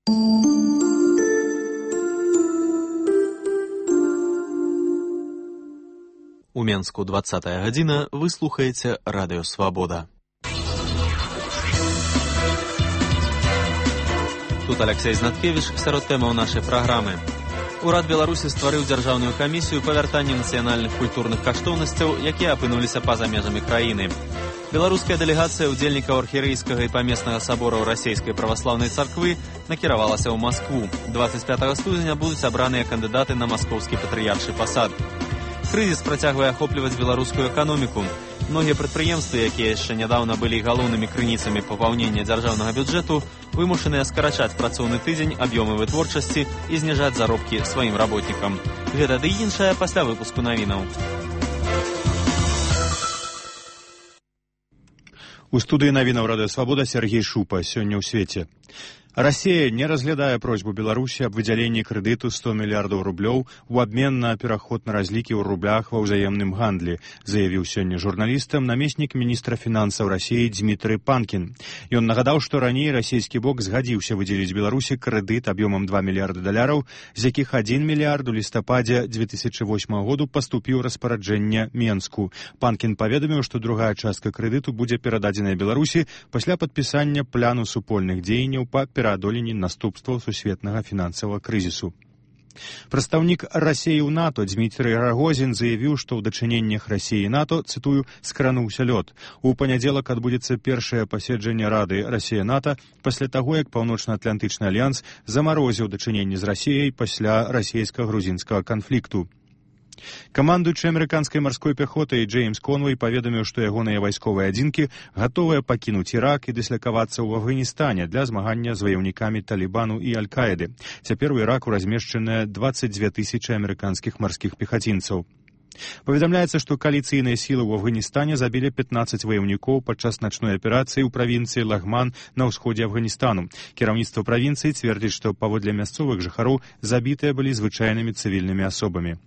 У Менску 20 гадзіна, вы слухаеце Радыё Свабода. Тут Алексей Знаткевич сярод тэмаў нашай праграмы. Урад Беларусі стварыў дзяржаўную камісію па вяртанні нацыянальных культурных каштоўнасцяў, якія апынуліся па-за межамі краіны. Беларуская дэлегацыя ўдзельнікаў архірэйскага і памеснага сабораў расійскай праваслаўнай царквы накіравалася ў Маскву. 25 студзеня будуць абраныя кандыдаты на маскоўскі патрыярчы пасад. Крызіс працягвае ахопліваць беларускую эканоміку. Многія прадпрыемствы, якія яшчэ нядаўна былі галоўнымі крыніцамі папаўнення дзяржаўнага бюджэту, вымушаныя скарачаць працоўны тыдзень, аб'ёмы вытворчасці і зніжаць заробкі сваім работнікам. Гэта ды іншае пасля выпуску навінаў. У студыі навінаў Радыё Свабода Сергей Шупа. Сёння ў свеце. Расія не разглядае просьбу Беларусі аб выдзяленні крэдыту 100 мільярдаў рублёў у абмен на пераход на разлікі ў рублях ва ўзаемным гандлі, заявіў сёння журналістам намеснік міністра фінансаў Расіі Дмітрый Панкін. Ён нагадаў, што раней расійскі бок згадзіўся выдзеліць Беларусі крэдыт аб'ёмам $2 мільярды, з якіх 1 мільярд у лістападзе 2008 году паступіў распараджэнне Менску. Панкін паведаміў, што другая частка крэдыту будзе перададзеная Беларусі пасля падпісання пляну супольных дзеянняў па пераадоленні наступстваў сусветнага фінансавага крызісу. Прадстаўнік Расіі ў НАТО Дмітрый Рагозін заявіў, што ў дачыненнях Расіі і НАТО, цытую, скрануўся лёд. У панядзелак адбудзецца першае паседжанне Рады Расія-НАТО пасля таго, як Паўночна-Атлантычны альянс замарозіў дачыненні з Расіяй пасля расійска-грузінскага канфлікту. Камандуючы амерыканскай марской пяхотай Джеймс Конвей паведаміў, што ягоныя вайсковыя адзінкі гатовыя пакінуць Ірак і дыслакавацца ў Афганістане для змагання з ваяўнікамі Талібану і Аль-Каіды. Цяпер у Іраку размешчаныя 22 000 амерыканскіх марскіх пехацінцаў. Паведамляецца, што кааліцыйныя сілы ў Афганістане забілі 15 ваяўнікоў падчас начной аперацыі ў правінцыі Лагман на ўсходзе Афганістану. Кіраўніцтва правінцыі цвердзіць, што паводле мясцовых жыхароў забітыя былі звычайнымі цывільнымі асобамі.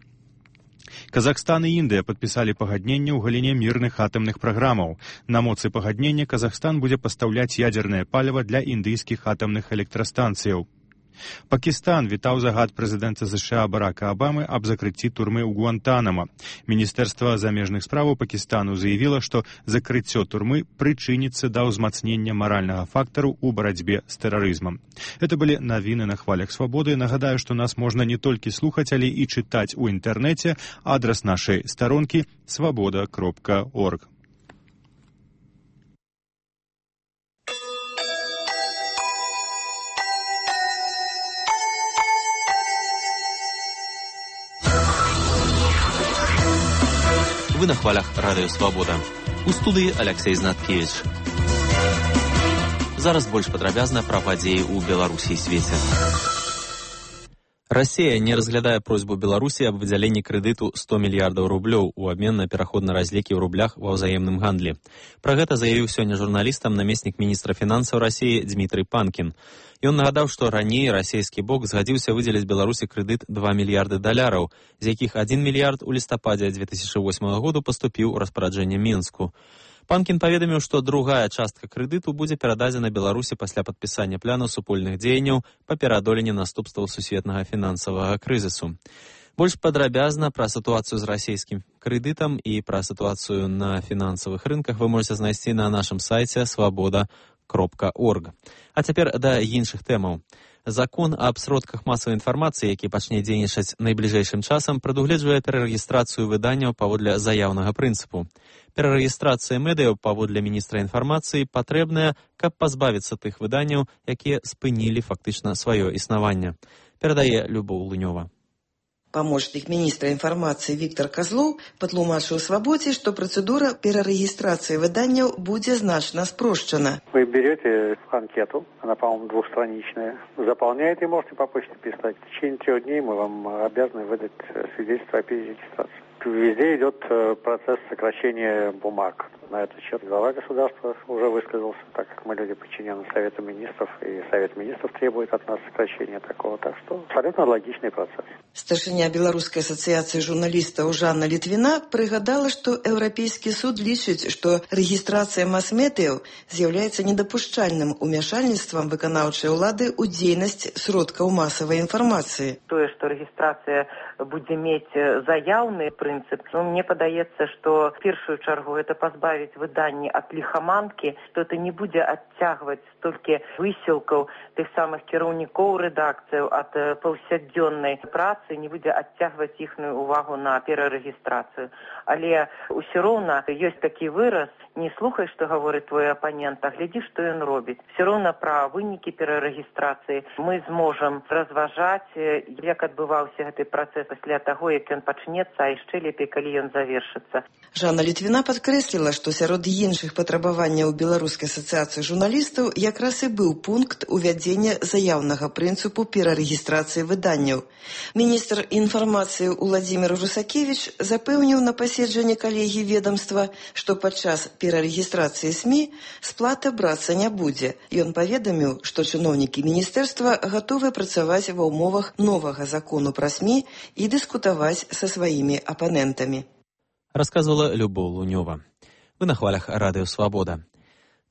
Казахстан і Індыя падпісалі пагадненне ў галіне мірных атамных праграмаў. На моцы пагаднення Казахстан будзе пастаўляць ядзернае паліва для індыйскіх атамных электрастанцыяў. Пакістан вітаў загад прэзідэнта США Барака Абамы аб закрыцці турмы ў Гуантанамо. Міністэрства замежных справаў Пакістану заявіла, што закрыццё турмы прычыніцца да ўзмацнення маральнага фактару ў барацьбе з тэрарызмам. Гэта былі навіны на хвалях свабоды. Нагадаю, што нас можна не толькі слухаць, але і чытаць у інтэрнэце. Адрас нашай старонкі свабода.орг. Вы на хвалях Радыё Свабода. У студыі Алексей Знаткевич. Зараз больш падрабязна пра падзеі ў Беларусі і свеце. Расія не разглядае просьбу Беларусі аб выдзяленні крэдыту 100 мільярдаў рублёў у абмен на пераход на разлікі ў рублях ва ўзаемным гандлі. Пра гэта заявіў сёння журналістам намеснік міністра фінансаў Расіі Дмітрый Панкін. Ён нагадаў, што раней расійскі бок згадзіўся выдзеліць Беларусі крэдыт $2 мільярды, з якіх 1 мільярд у лістападзе 2008 году паступіў у распараджэнне Менску. Панкін паведаміў, што другая частка крэдыту будзе перададзена Беларусі пасля падпісання пляну супольных дзеянняў па пераадоленні наступстваў сусветнага фінансавага крызісу. Больш падрабязна пра сітуацыю з расійскім крэдытам і пра сітуацыю на фінансавых рынках вы можете знайсці на нашым сайце свабода.орг. А цяпер да іншых тэмаў. Закон аб сродках масавай інфармацыі, які пачне дзейнічаць найбліжэйшым часам, прадугледжвае перарэгістрацыю выданняў паводле заяўнага прынцыпу. Перарэгістрацыя медыяў паводле міністра інфармацыі патрэбная, каб пазбавіцца тых выданняў, якія спынілі фактычна сваё існаванне. Перадае Любоў Лунёва. Помощник министра информации Виктор Козлов патлумачыў Свабодзе, что процедура перарегистрации выданняў будзе значна спрощена. Вы берете анкету, она, по-моему, двухстраничная, заполняете и можете по почте писать. В течение 3 дней мы вам обязаны выдать свидетельство о перерегистрации. Везде идет процесс сокращения бумаг. На этот счет глава государства уже высказался, так как Мы люди подчинены Совету Министров, и Совет Министров требует от нас сокращения такого. Так что абсолютно логичный процесс. Старшыня Беларускай асацыяцыі журналістаў Жанна Літвіна прыгадала, што Еўрапейскі суд лічыць, што рэгістрацыя мас-медыяў з'яўляецца недапушчальным умяшальніцтвам выканаўчай улады ў дзейнасць сродкаў масавай інфармацыі. Тое, што рэгістрацыя будзе мець заяўны прынцып, мне падаецца, што в першую чаргу это пазбавіць выданні ад ліхаманкі, што это не будзе адцягваць столькі высілкаў тых самых кіраўнікоў рэдакцыяў ад паўсядзённай працы, не будзе адцягваць іхную увагу на перарэгістрацыю. Але ўсё роўна ёсць такі выраз: не слухай, што гаворыць твой апанент, а глядзі, што ён робіць. Все роўна пра вынікі перарэгістрацыі мы зможам разважаць, як адбываўся гэты працэс пасля таго, як ён пачнецца, а яшчэ лепей, калі ён завершыцца. Жанна Літвіна падкрэсліла, што сярод іншых патрабаванняў Беларускай асацыяцыі журналістаў якраз і быў пункт увядзення заяўнага прынцыпу перарэгістрацыі выданняў. Міністр інфармацыі Уладзімір Русакевіч запэўніў на паседжанні калегіі ведомства, што падчас перарэгістрацыі СМІ сплата брацца не будзе. Ён паведаміў, што чыноўнікі міністэрства гатовы працаваць ва ўмовах новага закону пра СМІ і дыскутаваць са сваімі апанентамі. Рассказывала Любоў Лунёва. Вы на хвалях Радыё Свабода.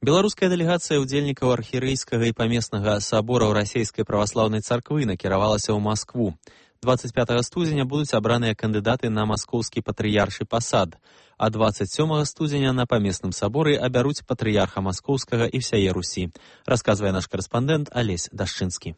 Беларуская дэлегацыя ўдзельнікаў архірэйскага і памеснага сабораў расійскай праваслаўнай царквы накіравалася ў Маскву. 25 студзеня будуць абраныя кандыдаты на маскоўскі патрыяршы пасад, а 27 студзеня на памесным саборы абяруць патрыярха маскоўскага і всяе Русі, расказвае наш карэспандэнт Алесь Дашчынскі.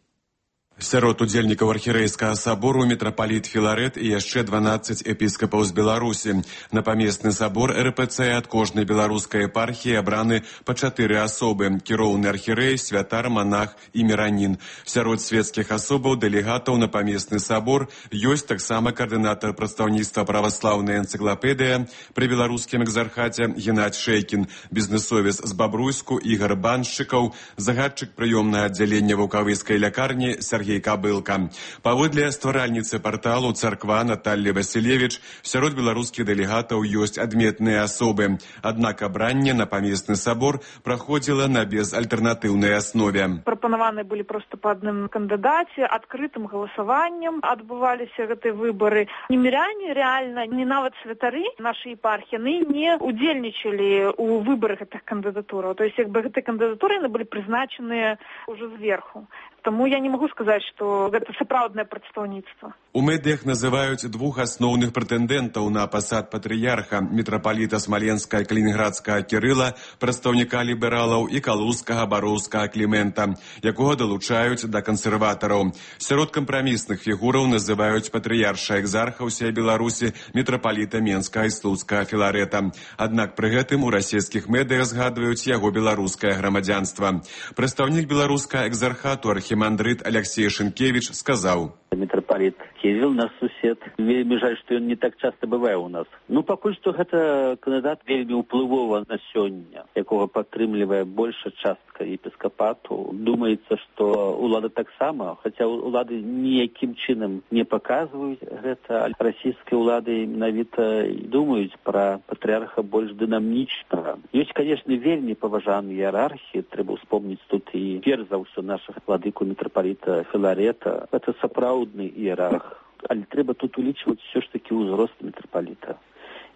Сярод удзельнікаў архірэйскага сабору мітрапаліт Філарэт і яшчэ 12 епіскапаў з Беларусі. На памесны сабор РПЦ ад кожнай беларускай епархіі абраны па 4 асобы: кіроўны архірэй, святар, манах і міранін. Сярод свецкіх асобаў дэлегатаў на памесны сабор ёсць таксама каардынатар прадстаўніцтва праваслаўнай энцыклапедыя пры беларускім экзархаце Геннадзь Шэйкін, бізнесовец з Бабруйску Ігар Баншчыкаў, загадчык прыёмнага аддзялення ваўкавыскай лякарні Сергей Кабылка. Паводле стваральніцы парталу «Царква» Наталлі Васілевіч, сярод беларускіх дэлегатаў ёсць адметныя асобы. Аднак абранне на памесны сабор праходзіла на безальтэрнатыўнай аснове. Прапанаваны былі проста па адным кандыдаце, адкрытым галасаваннем адбываліся гэтыя выбары. Ні міряне, рэальна, ні нават святары нашай епархіі не удзельнічалі ў выбарах гэтых кандыдатураў. То есть, якби гэтыя кандыдатуры былі прызначаныя ўжо зверху. Таму я не магу сказаць, што гэта сапраўднае прадстаўніцтва. У медыях называюць двух асноўных прэтэндэнтаў на пасад патрыярха: мітрапаліта Смаленскага і Калінінградскага Кірыла, прадстаўніка лібералаў, і калузскага Бароўскага Клімента, якога далучаюць да кансерватараў. Сярод кампрамісных фігураў называюць патрыярша экзарха ўсей Беларусі, мітрапаліта Менскага і Слуцкага Філарэта. Аднак пры гэтым у расійскіх медыях згадваюць яго беларускае грамадзянства. Прадстаўнік беларускага экзархату архімандрыт Алексей Шынкевіч сказаў: мітрапаліт Кірыл, наш сусед. Вельмі жаль, што ён не так часта бывае ў нас. Пакуль што гэта кандыдат вельмі ўплывова на сёння, якога падтрымлівае большая частка епіскапату. Думаецца, што улада таксама, хаця улады ніякім чынам не паказваюць гэта, расійскія ўлады менавіта думаюць пра патрыярха больш дынамічнага. Ёсць, канешне, вельмі паважаныя іерархіі, трэба ўспомніць тут і перш за ўсё нашых владыку мітрапаліта Філарэта. Гэта сапраўдны іерарх. Але трэба тут улічваць все ж такі ўзрост мітрапаліта.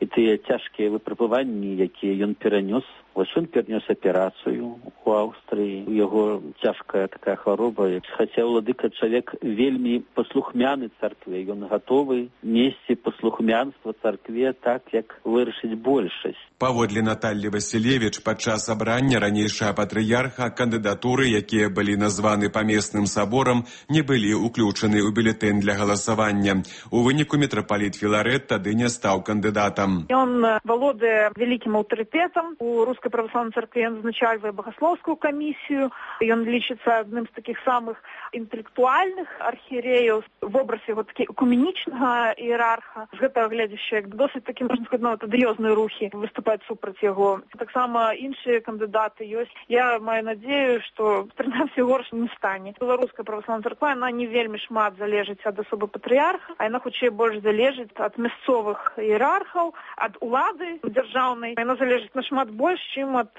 І тыя цяжкія выпрабаванні, якія ён перанёс. Вось ён перанёс аперацыю у Аўстрыі. У яго цяжкая такая хвароба. Хаця ўладыка чалавек вельмі паслухмяны царкве. Ён гатовы несці паслухмянства царкве так, як вырашыць большасць. Паводле Наталлі Васілевіч, падчас абрання ранейшага патрыярха кандыдатуры, якія былі названы памесным саборам, не былі ўключаны ў бюлетэнь для галасавання. У выніку мітрапаліт Філарэт тады не стаў кандыдатам. Ён валодае вялікім аўтарытэтам у Рускай праваслаўнай царкве, ён узначальвае багаслоўскую камісію, ён лічыцца адным з такіх самых інтэлектуальных архірэяў, вобраз яго такі экуменічнага іерарха. З гэтага гледзяча, як досыць такі, можна сказаць, нават адыёзныя рухі выступаюць супраць яго. Таксама іншыя кандыдаты ёсць. Я маю надзею, што прынамсі горш не стане. Беларуская праваслаўная царква, яна не вельмі шмат залежыць ад асобы патрыярха, а яна хутчэй больш залежыць ад мясцовых іерархаў, ад улады дзяржаўнай. Яна залежыць нашмат больш, чым ад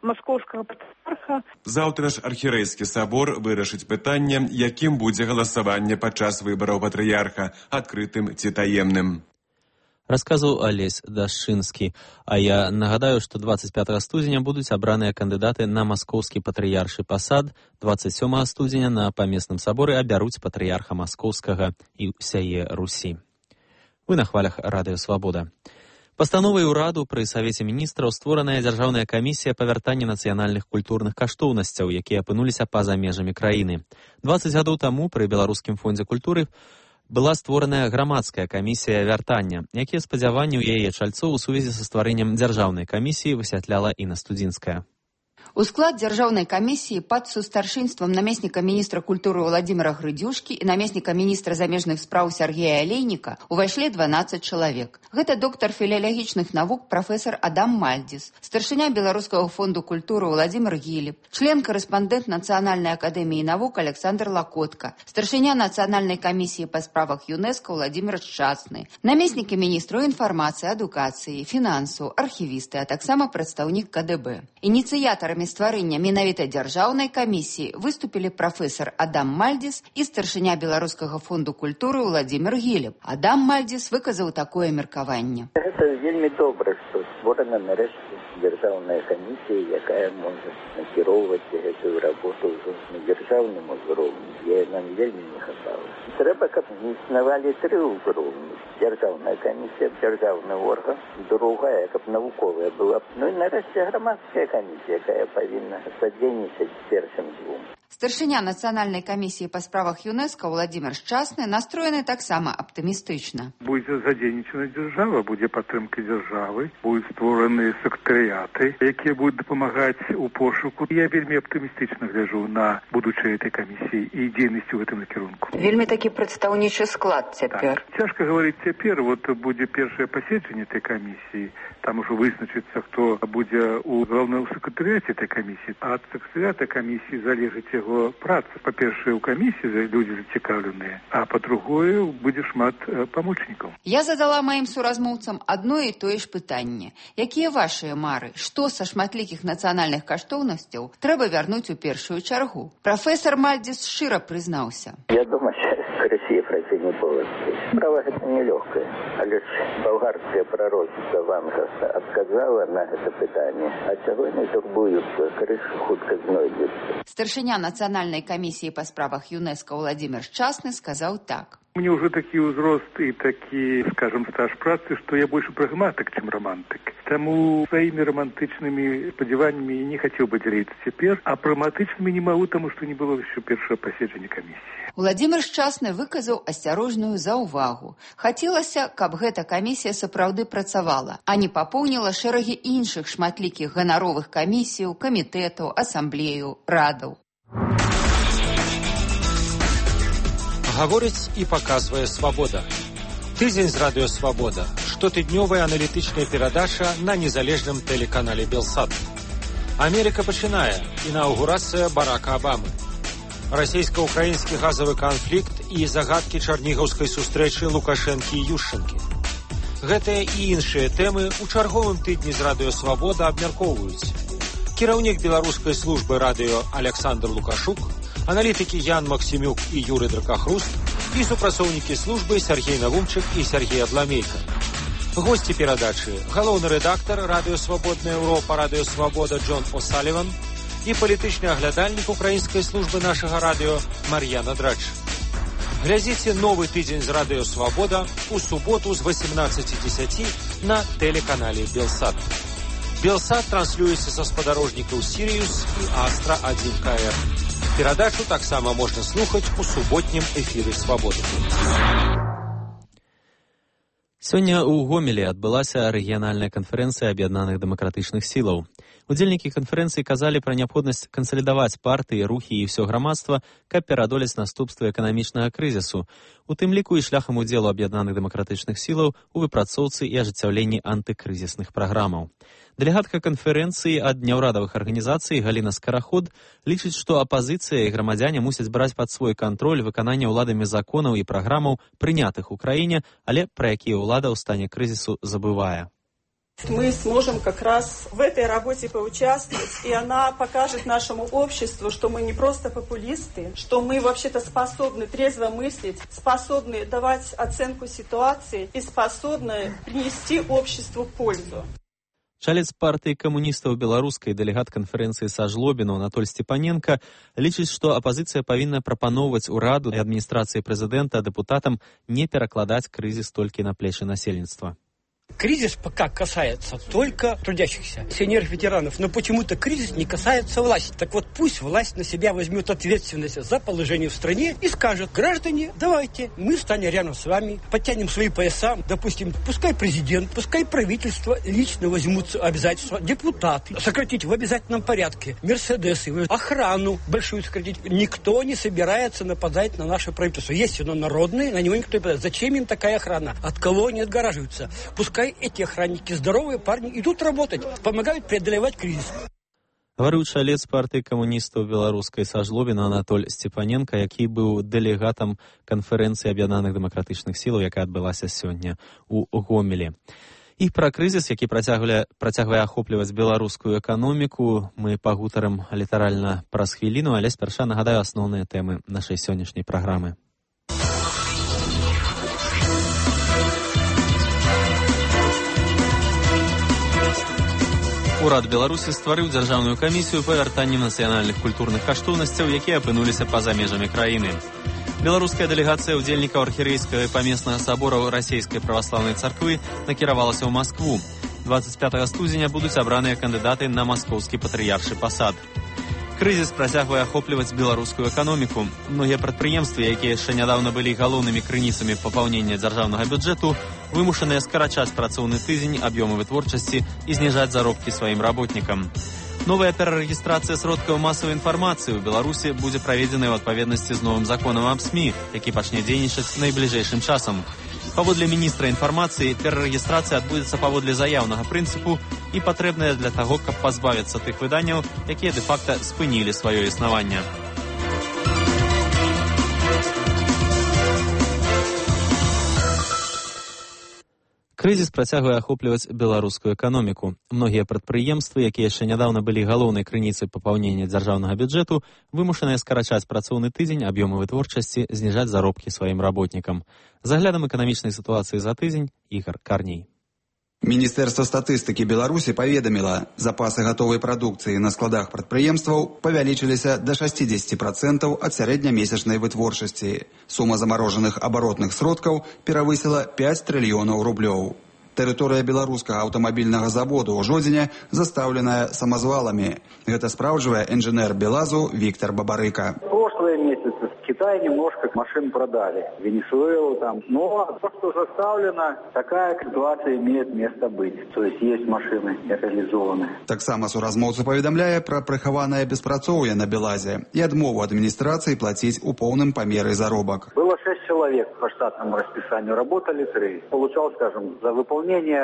маскоўскага патрыарха. Заўтра ж архірэйскі сабор вырашыць пытанне, якім будзе галасаванне падчас выбараў патрыярха, адкрытым ці таемным. Расказаў Алесь Дашчынскі. А я нагадаю, што 25 студзеня будуць абраныя кандыдаты на маскоўскі патрыяршы пасад, 27 студзеня на памесным саборы абяруць патрыярха маскоўскага і ўсяе Русі. Вы на хвалях Радыё Свабода. Пастановай ураду пры Савеце міністраў створаная дзяржаўная камісія па вяртанні нацыянальных культурных каштоўнасцяў, якія апынуліся па-за межамі краіны. 20 гадоў таму пры Беларускім фондзе культуры была створаная грамадская камісія вяртання, якія спадзяванні ў яе чальцоў у сувязі са стварэннем дзяржаўнай камісіі высвятляла Інна Студзінская. У склад дзяржаўнай камісіі пад сустаршынствам намесніка міністра культуры Владзіміра Грыдзюшкі і намесніка міністра замежных спраў Сергея Алейніка увайшлі 12 чалавек. Гэта доктар філалагічных навук прафесар Адам Мальдзіс, старшыня Беларускага фонду культуры Владзімір Гілеб, член-карэспандэнт Нацыянальнай акадэміі навук Александр Лакотка, старшыня Нацыянальнай камісіі па справах ЮНЕСКО Владзімір Шчасны, намеснікі міністраў інфармацыі, адукацыі, фінансаў, архівісты, а таксама прадстаўнік КДБ. Ініцыятарамі стварэння менавіта дзяржаўнай камісіі выступілі прафесар Адам Мальдзіс і старшыня Беларускага фонду культуры Владзімір Гілеб. Адам Мальдзіс выказаў такое меркаванне. Гэта вельмі добра, што створана нарэшце дзяржаўная камісія, якая можа накіроўваць гэтую работу ўжо на дзяржаўным узроўні. Нам вельмі не хапала. Трэба, каб існавалі 3 ўзроўні. Дзяржаўная камісія, дзяржаўны орган, другая, каб навуковая была. Ну і нарэшце грамадская камісія, якая павінна садзейнічаць першым 2. Старшыня Нацыянальнай камісіі па справах ЮНЕСКО Владзімір Шчасны настроены таксама аптымістычна. Будзе задзейнічана дзяржава, будзе падтрымка дзяржавы, будуць створаны сектарыяты, якія будуць дапамагаць у пошуку. Я вельмі аптымістычна гляджу на будучае этой камісіі і дзейнасць у гэтым накірунку. Вельмі такі прадстаўнічы склад цяпер. Так. Цяжка гаварыць цяпер, будзе першае паседжанне этой камісіі, там ужо вызначыцца, хто будзе у галоўным сектарыяце этой камісіі, а ад сектарыята камісіі залежыць яго праца. Па-першае, у камісіі людзі зацікаўленыя, а па-другое, будзе шмат памочнікаў. Я задала маім суразмоўцам адно і тое ж пытанне. Якія вашыя мары? Што са шматлікіх нацыянальных каштоўнасцяў трэба вярнуць у першую чаргу? Прафесар Мальдзіс шчыра прызнаўся. Я думаю, Россия пройти не будет. Справа гэта нелегкая, але ж болгарское пророчество Вангаса отказала на это пытанне, а чаго не турбуюцца, крыша хутка знойдзецца. Старшыня Нацыянальнай камісіі па справах ЮНЕСКО Владзімір Шчасны сказаў так. Мне уже такі ўзрост і такі, скажем, стаж працы, што я больше прагматык, чым романтык. Таму сваімі романтычнымі спадзяваннямі не хацеў бы дзяліцца цяпер, а прагматычнымі не магу, таму што не было яшчэ першага паседжання камісіі. Владзімір Шчасны выказаў асцярожную заўвагу. Хацелася, каб гэта камісія сапраўды працавала, а не папоўніла шэрагі іншых шматлікіх ганаровых камісіяў, камітэтаў, асамблеяў, радаў. Гаворыць і паказвае «Свабода». Тыдзень з радыё «Свабода». Штотыднёвая аналітычная перадача на незалежным тэлеканале «Белсат». Амерыка пачынае. Інаўгурацыя Барака Абамы. Расійска-ўкраінскі газавы канфлікт і загадкі чарнігаўскай сустрэчы Лукашэнкі і Юшчэнкі. Гэтыя і іншыя тэмы ў чарговым тыдні з радыё «Свабода» абмяркоўваюць. Кіраўнік беларускай службы радыё Александр Лукашук, аналітыкі Ян Максімюк і Юрый Дракахруст і супрацоўнікі службы Сергей Навумчык і Сергей Адламейка. Госці перадачы – галоўны рэдактар радыё «Свабодная Еўропа», радыё «Свабода» Джон О'Саліван і палітычны аглядальнік украінскай службы нашага радыё Мар'яна Драч. Глядзіце новы тыдзень з радыё «Свабода» у суботу з 18:10 на тэлеканале «Белсат». «Белсат» транслюецца са спадарожнікаў «Сіріус» і «Астра-1КР». Перадачу таксама можна слухаць у суботнім эфіры «Свабоды». Сёння ў Гомелі адбылася рэгіянальная канферэнцыя аб'яднаных дэмакратычных сілаў. Удзельнікі канферэнцыі казалі пра неабходнасць кансалідаваць партыі, рухі і ўсё грамадства, каб пераадолець наступствы эканамічнага крызісу, у тым ліку і шляхам удзелу аб'яднаных дэмакратычных сілаў у выпрацоўцы і ажыццяўленні антыкрызісных праграмаў. Дэлегатка канферэнцыі ад няўрадавых арганізацый Галіна Скараход лічыць, што апазіцыя і грамадзяне мусяць браць пад свой кантроль выканання ўладамі законаў і праграмаў, прынятых у краіне, але пра якія ўлада ў стане крызісу забывае. Мы сможем как раз в этой работе поучаствовать, и она покажет нашему обществу, что мы не просто популисты, что мы вообще-то способны трезво мыслить, способны давать оценку ситуации и способны принести обществу пользу. Чалец партыі камуністаў беларускай дэлегат канферэнцыі са Жлобіну Анатоль Степаненко лічыць, што апазіцыя павінна прапаноўваць ураду і адміністрацыі прэзідэнта дэпутатам не перакладаць крызіс толькі на плечы насельніцтва. Кризис пока касается только трудящихся, сеньоров-ветеранов, но почему-то кризис не касается власти. Так вот, пусть власть на себя возьмет ответственность за положение в стране и скажет: граждане, давайте, мы станем рядом с вами, подтянем свои пояса, допустим, пускай президент, пускай правительство лично возьмутся обязательства, депутаты, сократить в обязательном порядке мерседесы, охрану большую сократить. Никто не собирается нападать на наше правительство. Есть оно народное, на него никто не нападает. Зачем им такая охрана? От кого они отгораживаются? Пускай эти охранники, здоровые парни, идут работать, помогают преодолевать кризис. Гаварыў чалец партыі камуністаў беларускай са Жлобіна Анатоль Степаненко, які быў дэлегатам канферэнцыі аб'яднаных дэмакратычных сілаў, якая адбылася сёння ў Гомелі. І пра крызіс, які працягвае ахопліваць беларускую эканоміку, мы пагутарым літаральна праз хвіліну, але спярша нагадаю асноўныя тэмы нашай сённяшняй праграмы. Урад Беларусі стварыў дзяржаўную камісію па вяртанні нацыянальных культурных каштоўнасцяў, якія апынуліся па-за межамі краіны. Беларуская дэлегацыя ўдзельнікаў архірэйскага і памеснага сабораў расійскай праваслаўнай царквы накіравалася ў Маскву. 25 студзеня будуць абраныя кандыдаты на маскоўскі патрыяршы пасад. Крызіс працягвае ахопліваць беларускую эканоміку. Многія прадпрыемствы, якія яшчэ нядаўна былі галоўнымі крыніцамі папаўнення дзяржаўнага бюджэту, вымушаныя скарачаць працоўны тыдзень, аб'ёмы вытворчасці і зніжаць заробкі сваім работнікам. Новая перарэгістрацыя сродкаў масавай інфармацыі ў Беларусі будзе праведзеная ў адпаведнасці з новым законам аб СМІ, які пачне дзейнічаць найбліжэйшым часам. Паводле міністра інфармацыі, перарэгістрацыя адбудзецца паводле заяўнага прынцыпу і патрэбная для таго, каб пазбавіцца тых выданняў, якія дэ-факта спынілі сваё існаванне. Крызіс працягвае ахопліваць беларускую эканоміку. Многія прадпрыемствы, якія яшчэ нядаўна былі галоўнай крыніцай папаўнення дзяржаўнага бюджэту, вымушаныя скарачаць працоўны тыдзень, аб'ёмы вытворчасці, зніжаць заробкі сваім работнікам. З аглядам эканамічнай сітуацыі за тыдзень Ігор Карней. Міністэрства статыстыкі Беларусі паведаміла, запасы гатовай прадукцыі на складах прадпрыемстваў павялічыліся да 60% ад сярэднямесячнай вытворчасці. Сума замарожаных абаротных сродкаў перавысіла 5 трыльёнаў рублёў. Тэрыторыя беларускага аўтамабільнага заводу ў Жодзіне застаўленая самазваламі. Гэта спраўджвае інжынер Белазу Віктор Бабарыка. Прошлые месяцы в Китае немножко машин продали, Венесуэлу там. Но то, что заставлено, такая ситуация имеет место быть. То есть есть машины реализованные. Таксама суразмоўца паведамляе пра прыхаванае беспрацоўе на Белазе і адмову адміністрацыі плаціць у поўным памеры заробак. Было 6 человек по штатному расписанию, работали 3. Получал, скажем, за выполнение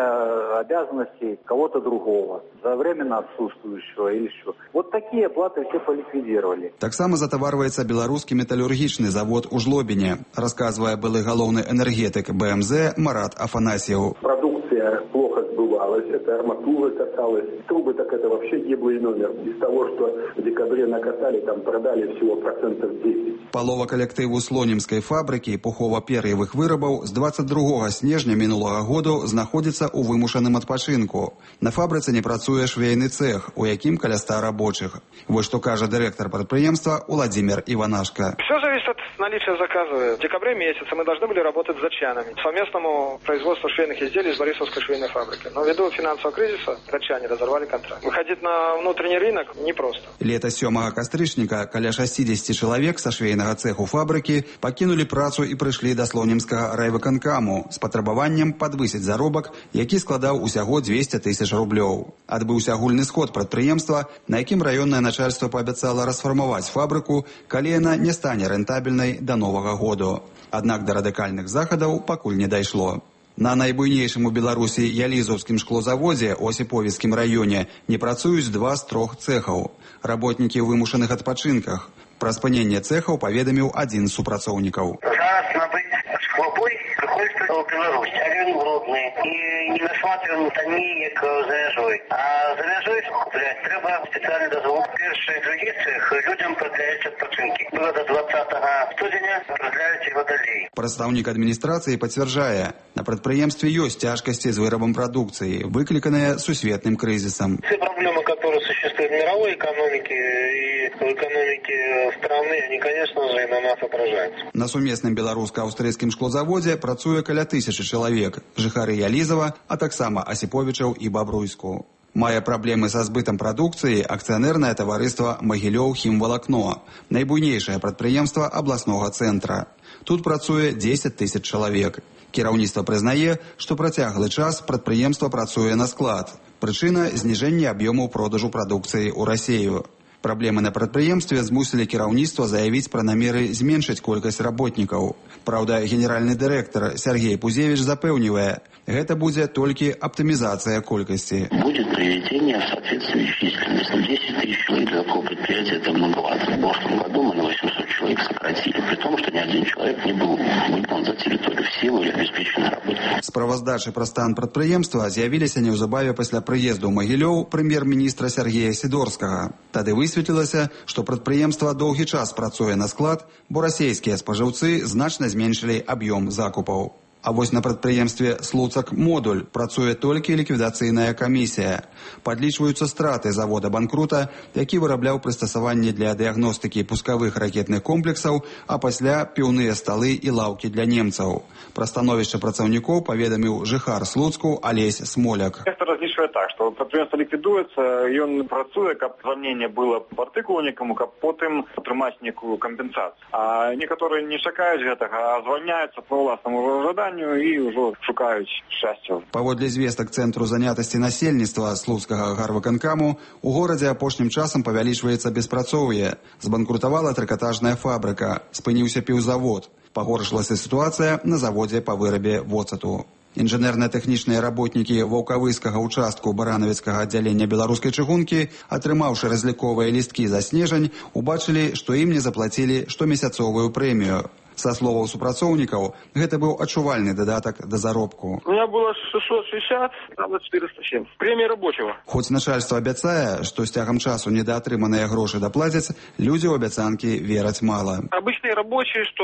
обязанностей кого-то другого, за временно отсутствующего или что. Вот такие оплаты все поликвидировали. Таксама затаварваецца беларускі металлургічны завод у Жлобіне, расказвае былы галоўны энергетык БМЗ Марат Афанасьев. Продукция плохо сбывалась, это арматура касалась, трубы, так это вообще гиблый номер. Из того, что в декабре накатали, там продали всего 10%. Палова калектыву слонімскай фабрыкі пухова-пер'евых вырабаў з 22 снежня мінулага году знаходзіцца ў вымушаным адпачынку. На фабрыцы не працуе швейны цех, у якім каля 100 рабочих. Вот что кажа директор предприемства Владимир Иванашко. Все зависит от наличия заказа. В декабре месяце мы должны были работать с датчанами. Совместному производству швейных изделий из Борисовской швейной фабрики. Но ввиду финансового кризиса датчане разорвали контракт. Выходить на внутренний рынок непросто. Лето 7 кастрычніка каля 60 чалавек са швейнага цеху фабрыкі пакінулі працу і прыйшлі да слонімскага райвыканкаму з патрабаваннем падвысіць заробак, які складаў усяго 200 000 рублёў. Адбыўся агульны сход прадпрыемства, на якім раённае начальства паабяцала расфармаваць фабрыку, калі яна не стане рэнтабельнай да новага году. Аднак да радыкальных захадаў пакуль не дайшло. На найбуйнейшым у Беларусі Ялізаўскім шклозаводзе ў Осіповіцкім раёне не працуюць 2 з 3 цэхаў. Работнікі ў вымушаных адпачынках. Пра спыненне цэхаў паведаміў адзін з супрацоўнікаў. Зараз набыць склобой прыходзіцца ў Беларусь, а ён холодны і не насматриваем танней, як за мяжой. А за мяжой купляць трэба спецыяльны дазвол. Першы і другі цэх людзям продляюць адпачынкі. Было до 20 студзеня, продляюць его далей. Прадстаўнік адміністрацыі пацвярджае, на прадпрыемстве ёсць цяжкасці з вырабам прадукцыі, выкліканыя сусветным крызісам. Все проблемы, которые существуют в мировой экономике и в экономике страны, они, конечно же, и на нас отражаются. На сумесным беларуска-аўстрыйскім шклозаводзе працуе каля 1000 чалавек, жыхары Ялізава, а таксама Асіповічаў і Бабруйску. Мае праблемы са збытам прадукцыі акцыянернае таварыства «Магілёў хімвалакно», найбуйнейшае прадпрыемства абласнога цэнтра. Тут працуе 10 000 чалавек. Кіраўніцтва прызнае, што працяглы час прадпрыемства працуе на склад. Прычына – зніжэнне аб'ёмаў продажу прадукцыі ў Расею. Праблемы на прадпрыемстве змусілі кіраўніцтва заявіць пра намеры зменшыць колькасць работнікаў. Праўда, генеральны дырэктар Сергей Пузевич запэўнівае, гэта будзе толькі аптымізацыя колькасці. Будет приведение в соответствии с численностью. 10 000 человек для такого предприятия это многовато. В прошлом году мы на 800 человек сократили, при том, что ни один человек не был выгнан за территорию, все были обеспечены работой. Справаздачы пра стан прадпрыемства з'явіліся неўзабаве пасля прыезду ў Магілёў прэм'ер-міністра Сергея Сідорскага. Тады высветлілася, што прадпрыемства доўгі час працуе на склад, бо расейскія спажыўцы значна зменшылі аб'ём закупаў. А вось на прадпрыемстве «Слуцак-Модуль» працуе толькі ліквідацыйная камісія. Падлічваюцца страты завода-банкрута, які вырабляў прыстасаванні для дыягностыкі пускавых ракетных комплексаў, а пасля піўныя сталы і лаўкі для немцаў. Пра становішча працаўнікоў паведаміў жыхар Слуцку Алесь Смоляк. Разлічвае так, што прадпрыемства ліквідуецца, ён працуе, каб звальненне было партыкульнікам, каб потым атрымаць некую кампенсацыю. А некаторыя не чакаюць гэтага, а звальняюцца па ўласнаму жаданню і ўжо шукаюць шчасця. Паводле звестак Цэнтру занятасці насельніцтва Слуцкага гарвыканкаму, у горадзе апошнім часам павялічваецца беспрацоўе. Збанкрутавала трыкатажная фабрыка, спыніўся піўзавод. Пагоршылася сітуацыя на заводзе па вырабе воцату. Інжынерна-тэхнічныя работнікі ваўкавыскага ўчастку баранавіцкага аддзялення беларускай чыгункі, атрымаўшы разліковыя лісткі за снежань, убачылі, што ім не заплацілі штомесяцовую прэмію. Са словаў супрацоўнікаў, гэта быў адчувальны дадатак да заробку. У меня было 660, там 407. Премия рабочего. Хоць начальство абяцае, што з цягам часу недаатрыманыя грошы даплацяць, людзі ў абяцанкі вераць мала. Обычные рабочие, что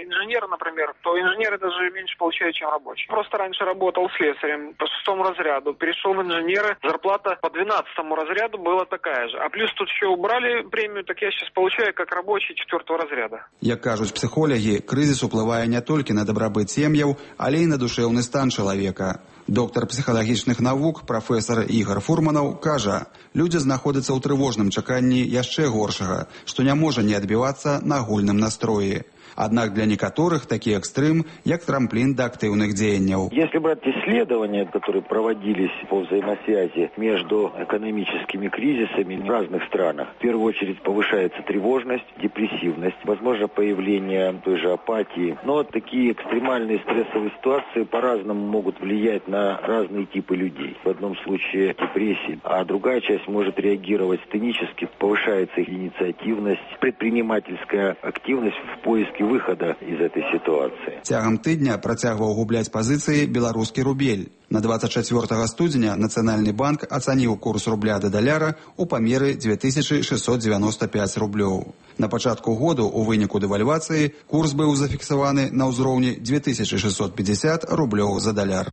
инженеры, например, то инженеры даже меньше получают, чем рабочие. Просто раньше работал слесарем по 6 разряду, перешел в инженеры, зарплата по 12 разряду была такая же. А плюс тут еще убрали премию, так я сейчас получаю как рабочий 4 разряда. Як кажуць псіхолагі, крызіс уплывае не толькі на дабрабыт сем'яў, але і на душэўны стан чалавека. Доктар псіхалагічных навук, прафесар Ігор Фурманаў, кажа, людзі знаходзяцца ў трывожным чаканні яшчэ горшага, што не можа не адбівацца на агульным настроі. Однако для некоторых такие экстрем, як трамплин до активных деяний. Если брать исследования, которые проводились по взаимосвязи между экономическими кризисами в разных странах, в первую очередь повышается тревожность, депрессивность, возможно появление той же апатии. Но такие экстремальные стрессовые ситуации по-разному могут влиять на разные типы людей. В одном случае депрессия, а другая часть может реагировать сценически, повышается их инициативность, предпринимательская активность в поиске выхода из этой ситуации. Цягам тыдня працягваў губляць пазіцыі беларускі рубель. На 24 студзеня Нацыянальны банк ацаніў курс рубля да даляра ў памеры 2695 рублёў. На пачатку году у выніку дэвальвацыі курс быў зафіксаваны на ўзроўні 2650 рублёў за даляр.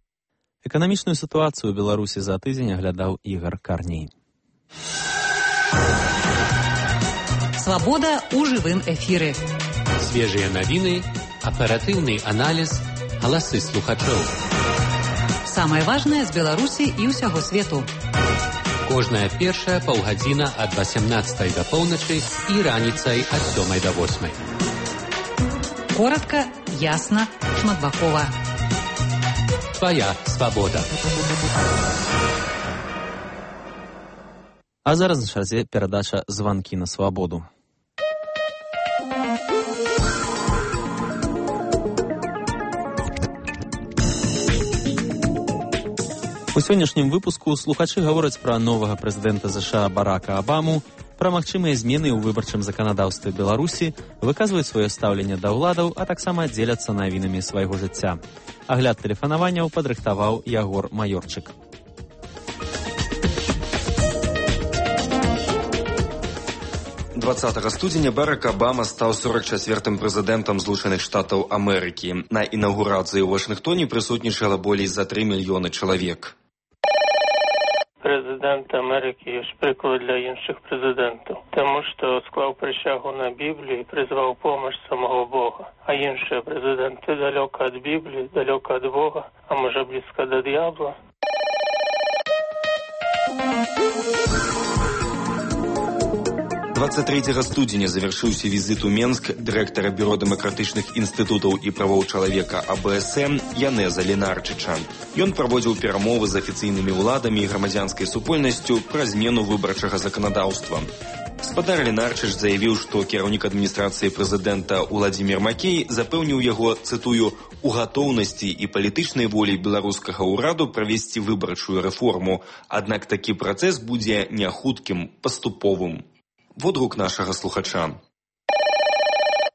Эканамічную сітуацыю ў Беларусі за тыдзень аглядаў Ігар Карней. Свабода ў жывым эфіры. Свежыя навіны, аператыўны аналіз, галасы слухачоў. Самае важнае з Беларусі і ўсяго свету. Кожная першая паўгадзіна ад 18 да поўначы і раніцай ад 7 да 8. Коротка, ясна, шматбакова. Твоя свабода. А зараз на чарзе перадача «Званкі на свабоду». У сённяшнім выпуску слухачы гавораць пра новага прэзідэнта США Барака Абаму, Пра магчымыя змены ў выбарчым заканадаўстве Беларусі, выказваюць сваё стаўленне да ўладаў, а таксама дзеляцца навінамі свайго жыцця. Агляд тэлефанаванняў падрыхтаваў Ягор Маёрчык. 20 студзеня Барак Абама стаў 44-м прэзідэнтам Злучаных Штатаў Амерыкі. На інаўгурацыі ў Вашынгтоне прысутнічала болей за 3 мільёны чалавек. Прэзідэнт Амерыкі ёсць прыклад для іншых прэзідэнтаў, таму што склаў прысягу на Біблію і прызваў помощь самого Бога. А іншыя прэзідэнты далёка ад Бібліі, далёка ад Бога, а можа блізка да д'ябла. 23 студзеня завяршыўся візіт у Менск дырэктара Бюро дэмакратычных інстытутаў і правоў чалавека АБСМ Янеза Ленарчыча. Ён праводзіў перамовы з афіцыйнымі ўладамі і грамадзянскай супольнасцю пра змену выбарчага заканадаўства. Спадар Ленарчыч заявіў, што кіраўнік адміністрацыі прэзідэнта Уладзімір Макей запэўніў яго, цытую, «у гатоўнасці і палітычнай волі беларускага ўраду правесці выбарчую рэформу, аднак такі працэс будзе не хуткім, паступовым». Водгук нашего слухача.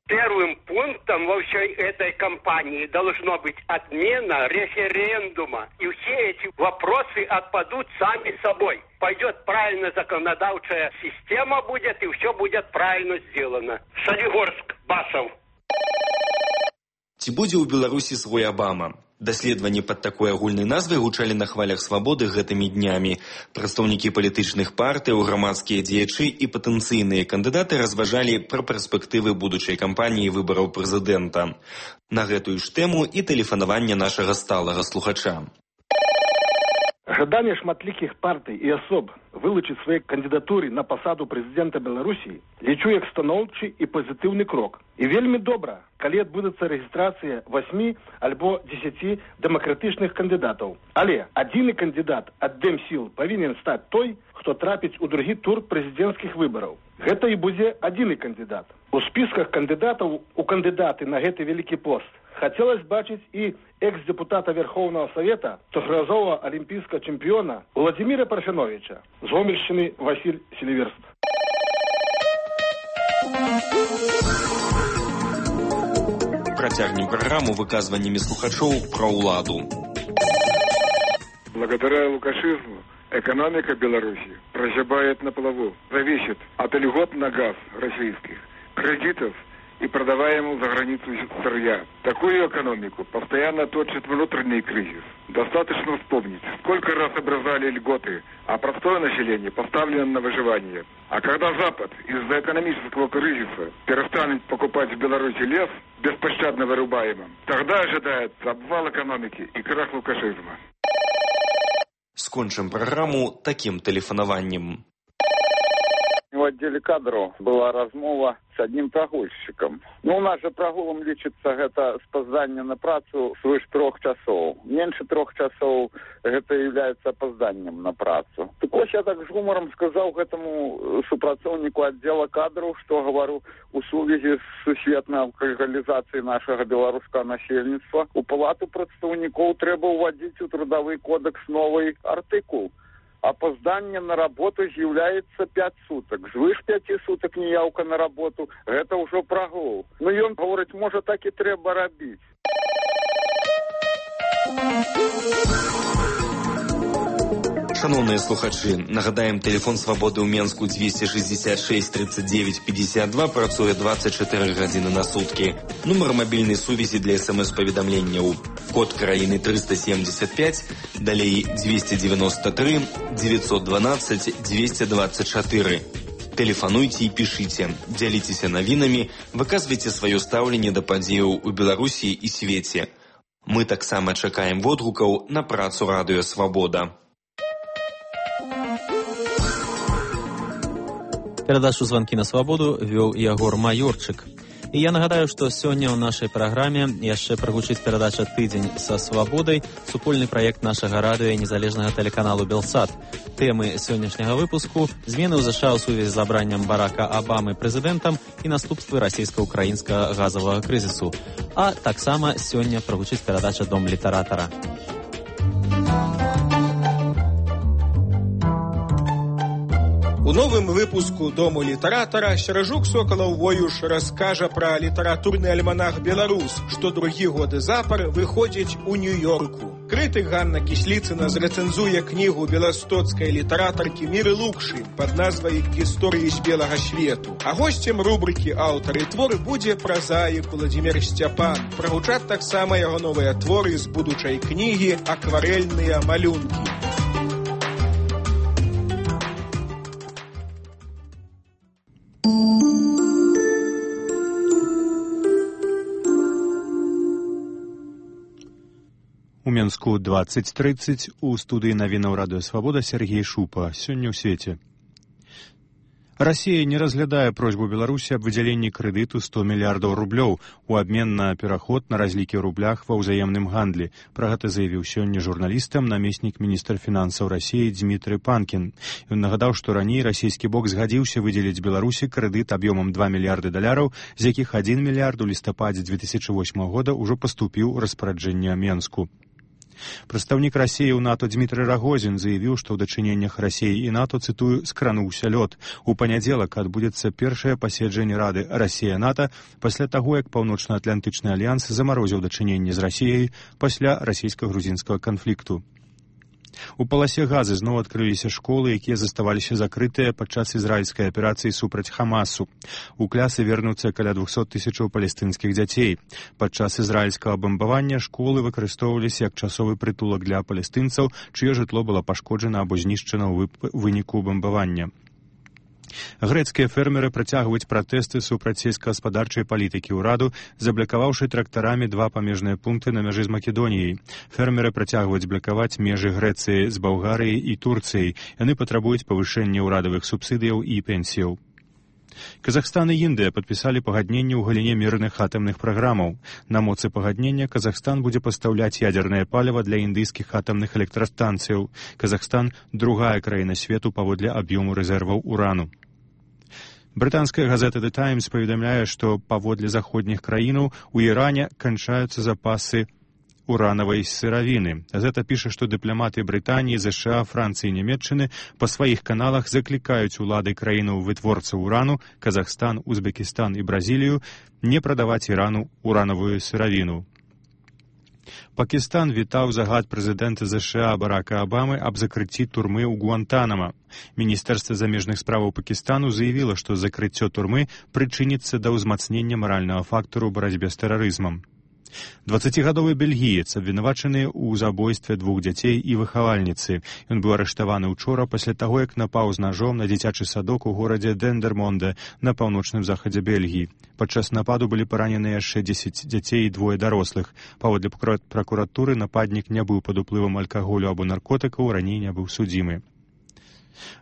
Первым пунктом во всей этой кампании должно быть отмена референдума. И все эти вопросы отпадут сами собой. Пойдет правильно законодавчая система будет, и все будет правильно сделано. Солигорск, Басов. Ці будзе ў Беларусі свой Абама? Даследаванні пад такой агульнай назвай гучалі на хвалях свабоды гэтымі днямі. Прадстаўнікі палітычных партыяў, грамадскія дзеячы і патэнцыйныя кандыдаты разважалі пра перспектывы будучай кампаніі выбараў прэзідэнта. На гэтую ж тэму і тэлефанаванне нашага сталага слухача. Жаданне шматлікіх партый і асоб вылучыць свае кандыдатуры на пасаду прэзідэнта Беларусі лічу як станоўчы і пазітыўны крок. І вельмі добра, калі адбудзецца рэгістрацыя 8 альбо 10 дэмакратычных кандыдатаў. Але адзіны кандыдат ад Дэмсіл павінен стаць той, хто трапіць у другі тур прэзідэнцкіх выбараў. Гэта і будзе адзіны кандыдат. У спісках кандыдатаў у кандыдаты на гэты вялікі пост хацелось бачыць і экс-депутата Верховного Совета, трохразового олимпийского чемпиона Владимира Парфяновича, з Гомельщины Василь Селиверст. Протягнем программу выказываниями слухачоў про уладу. Благодаря лукашизму экономика Беларуси прозябает на плаву, зависит от льгот на газ российских, кредитов и продаваемого за границу сырья. Такую экономику постоянно точит внутренний кризис. Достаточно вспомнить, сколько раз обрезали льготы, а простое население поставлено на выживание. А когда Запад из-за экономического кризиса перестанет покупать в Беларуси лес, беспощадно вырубаемым, тогда ожидается обвал экономики и крах лукашизма. Скончим программу таким телефонованием. В отделе кадров была размова с одним прогульщиком. У нас же прогулом лічыцца гэта спазданне на працу свыш 3 часоў. Меньше 3 часоў гэта является опозданием на працу. Так вот, я так с гумором сказал гэтому супрацоўніку отдела кадров, что говорю у сувязі с сусветнай алкагалізацыяй нашего беларускага насельніцтва. У палату прадстаўнікоў трэба ўводзіць у трудовый кодекс новый артыкул. Опоздание на работу является 5 суток. Звыш 5 суток неявка на работу, это уже прогул. Но ён говорить, может, так и треба робить. Шановные слухачи, нагадаем, телефон свободы у Менску 266 39 52, працуе 24 гадзіны на сутки. Нумар мобильной сувязі для смс-поведомленняў. Код краіны 375, далей 293 912 224. Телефонуйте и пишите, дзяліцеся навінамі, выказвайце сваё стаўленне да падзеяў у Беларусі і свеце. Мы таксама чакаем водгукаў на працу радыё «Свабода». Перадачу «Звонки на свободу» вёў Ягор Маёрчык. І я нагадаю, што сёння ў нашай праграме яшчэ прагучыць перадача «Тыдзень са свабодай», супольны праект нашага радыё і незалежнага тэлеканалу «Белсат». Тэмы сённяшняга выпуску – змены ў ЗША ў сувязі з абраннем Барака Абамы прэзідэнтам і наступствы расійска-украінскага газавага крызісу. А таксама сёння прагучыць перадача «Дом літаратара». У У новым выпуску «Дому літаратара» Серажук Сокалаў-Воюш раскажа пра літаратурны альманах «Беларус», што другі годы запар выходзіць у Нью-Йорку. Крытык Ганна Кісліцына зрэцэнзуе кнігу беластоцкай літаратаркі Міры Лукшы пад назвай «Гісторыі з белага свету». А госцем рубрыкі «Аўтар і твор» будзе празаік Владзімір Сцяпан. Прагучаць таксама яго новыя творы з будучай кнігі «Акварэльныя малюнкі». У Менску 20:30, у студыі навінаў Радыё Свабода Сергей Шупа. Сёння ў свеце. Расія не разглядае просьбу Беларусі аб выдзяленні крэдыту 100 мільярдаў рублёў у абмен на пераход на разлікі ў рублях ва ўзаемным гандлі. Пра гэта заявіў сёння журналістам намеснік міністра фінансаў Расіі Дмітрый Панкін. Ён нагадаў, што раней расійскі бок згадзіўся выдзеліць Беларусі крэдыт аб'ёмам 2 мільярды даляраў, з якіх 1 мільярд у лістападзе 2008 года ўжо паступіў у распараджэнне Менску. Прадстаўнік Расіі ў НАТО Дмітрый Рагозін заявіў, што ў дачыненнях Расіі і НАТО, цытую, скрануўся лёд. У панядзелак адбудзецца першае паседжанне Рады Расія-НАТО пасля таго, як Паўночна-Атлантычны альянс замарозіў дачыненні з Расіяй пасля расійска-грузінскага канфлікту. У паласе Газы зноў адкрыліся школы, якія заставаліся закрытыя падчас ізраільскай аперацыі супраць Хамасу. У клясы вернуцца каля 200 тысячаў палестынскіх дзяцей. Падчас ізраільскага бамбавання школы выкарыстоўваліся як часовы прытулак для палестынцаў, чыё жытло было пашкоджана або знішчана ў выніку бамбавання. Грэцкія фермеры працягваюць пратэсты супраць сельскагаспадарчай палітыкі ўраду, заблакаваўшы трактарамі 2 памежныя пункты на мяжы з Македоніяй. Фермеры працягваюць блакаваць межы Грэцыі з Балгарыяй і Турцыяй. Яны патрабуюць павышэння ўрадавых субсідыяў і пенсіяў. Казахстан і Індыя падпісалі пагадненне ў галіне мірных атамных праграмаў. На моцы пагаднення Казахстан будзе пастаўляць ядзернае паліва для індыйскіх атамных электрастанцыяў. Казахстан – другая краіна свету паводле аб'ёму рэзерваў урану. Брытанская газета The Times паведамляе, што паводле заходніх краінаў у Іране канчаюцца запасы уранавай сыравіны. Газета піша, што дыпламаты Брытаніі, ЗША, Францыі і Нямецчыны па сваіх каналах заклікаюць улады краінаў вытворцаў урану, Казахстан, Узбекістан і Бразілію не прадаваць Ірану уранавую сыравіну. Пакістан вітаў загад прэзідэнта ЗША Барака Абамы аб закрыцці турмы ў Гуантанама. Міністэрства замежных справаў Пакістану заявіла, што закрыццё турмы прычыніцца да ўзмацнення маральнага фактару ў барацьбе з тэрарызмам. 20-гадовы бельгіец, абвінавачаны ў забойстве 2 дзяцей і выхавальніцы. Ён быў арыштаваны ўчора пасля таго, як напаў з нажом на дзіцячы садок у горадзе Дендермонде на паўночным захадзе Бельгіі. Падчас нападу былі паранены яшчэ 10 дзяцей і 2 дарослых. Паводле пракуратуры нападнік не быў пад уплывам алкаголю або наркотыкаў, раней не быў судзімы.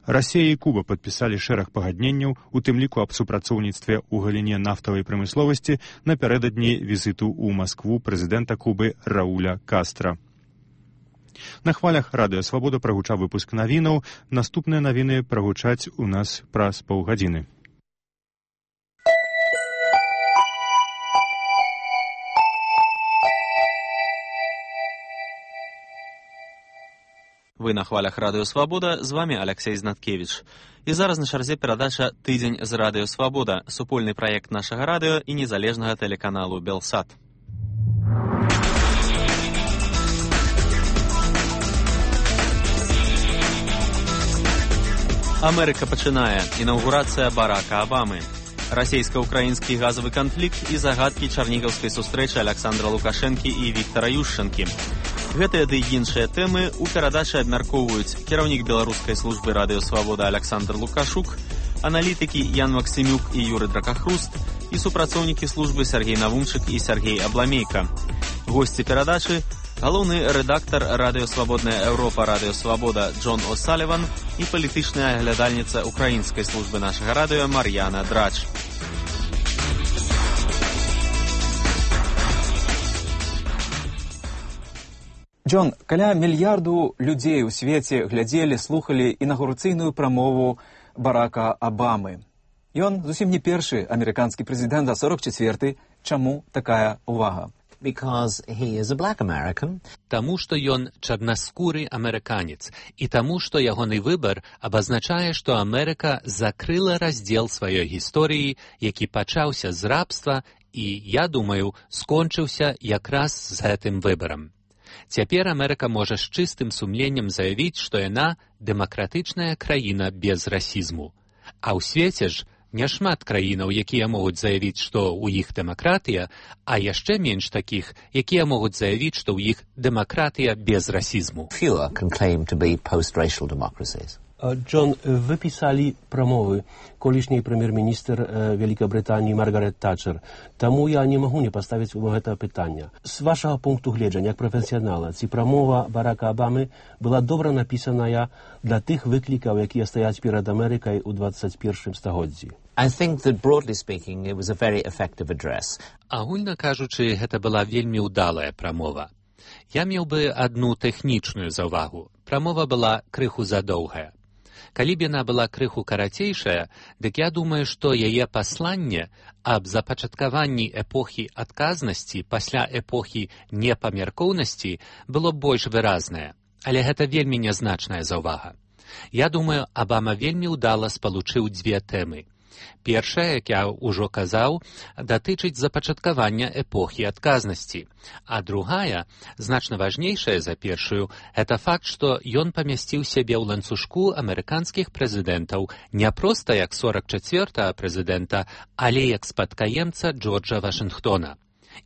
Расія і Куба падпісалі шэраг пагадненняў, у тым ліку аб супрацоўніцтве ў галіне нафтавай прамысловасці напярэдадні візіту ў Маскву прэзідэнта Кубы Рауля Кастра. На хвалях Радыё Свабода прагучаў выпуск навінаў. Наступныя навіны прагучаць у нас праз паўгадзіны. Вы на хвалях Радыё Свабода, з вами Алексей Знаткевич. І зараз на чарзе перадача «Тыдзень з Радыё Свабода», супольны праект нашага радыё і незалежнага тэлеканалу «Белсат». Амерыка пачынае. Інаўгурацыя Барака Абамы. Расійска-украінскі газавы канфлікт і загадкі чарнігаўскай сустрэчы Александра Лукашэнкі і Віктара Ющэнкі. Гэтыя ды іншыя тэмы ў перадачы абмяркоўваюць кіраўнік беларускай службы Радыё Свабода Александр Лукашук, аналітыкі Ян Максімюк і Юры Дракахруст і супрацоўнікі службы Сергей Навумчык і Сергей Абламейка. Госці перадачы – галоўны рэдактар Радыё Свабодная Еўропа Радыё Свабода Джон О'Саліван і палітычная аглядальніца украінскай службы нашага радыё Мар'яна Драч. Джон, каля мільярду людзей у свеце глядзелі, слухалі інаўгурацыйную прамову Барака Абамы. Ён зусім не першы амерыканскі прэзідэнт, а 44-й. Чаму такая ўвага? Because he is a black American. Таму, што ён чарнаскуры амерыканец, і таму, што ягоны выбар абазначае, што Амерыка закрыла раздзел сваёй гісторыі, які пачаўся з рабства і, я думаю, скончыўся якраз з гэтым выбарам. Цяпер Амерыка можа з чыстым сумленнем заявіць, што яна дэмакратычная краіна без расізму. А ў свеце ж няшмат краінаў, якія могуць заявіць, што ў іх дэмакратыя, а яшчэ менш такіх, якія могуць заявіць, што ў іх дэмакратыя без расізму. Fewer can claim to be post-racial democracies. John, wy pisali promowy колишний прем'єр-міністр Великобританії Маргарет Тачер. Тому я не можу не поставити це питання. З вашого пункту гледження, як професіонала, ці промова Барака Обами була добре написана для тих викликів, які стоять перед Америкою у 21 столітті. I think that, broadly speaking, it was a very effective address. Агульна кажучы, гэта была вельмі ўдалая прамова. Я меў бы адну тэхнічную заўвагу. Прамова была крыху задоўгая. Калі б яна была крыху карацейшая, дык я думаю, што яе пасланне аб запачаткаванні эпохі адказнасці пасля эпохі непамяркоўнасці было больш выразнае. Але гэта вельмі нязначная заўвага. Я думаю, Абама вельмі ўдала спалучыў дзве тэмы. Першая, як я ўжо казаў, датычыць запачаткавання эпохі адказнасці. А другая, значна важнейшая за першую, гэта факт, што ён памясціў сябе ў ланцужку амерыканскіх прэзідэнтаў не проста як 44-го прэзідэнта, але як спадкаемца Джорджа Вашынгтона.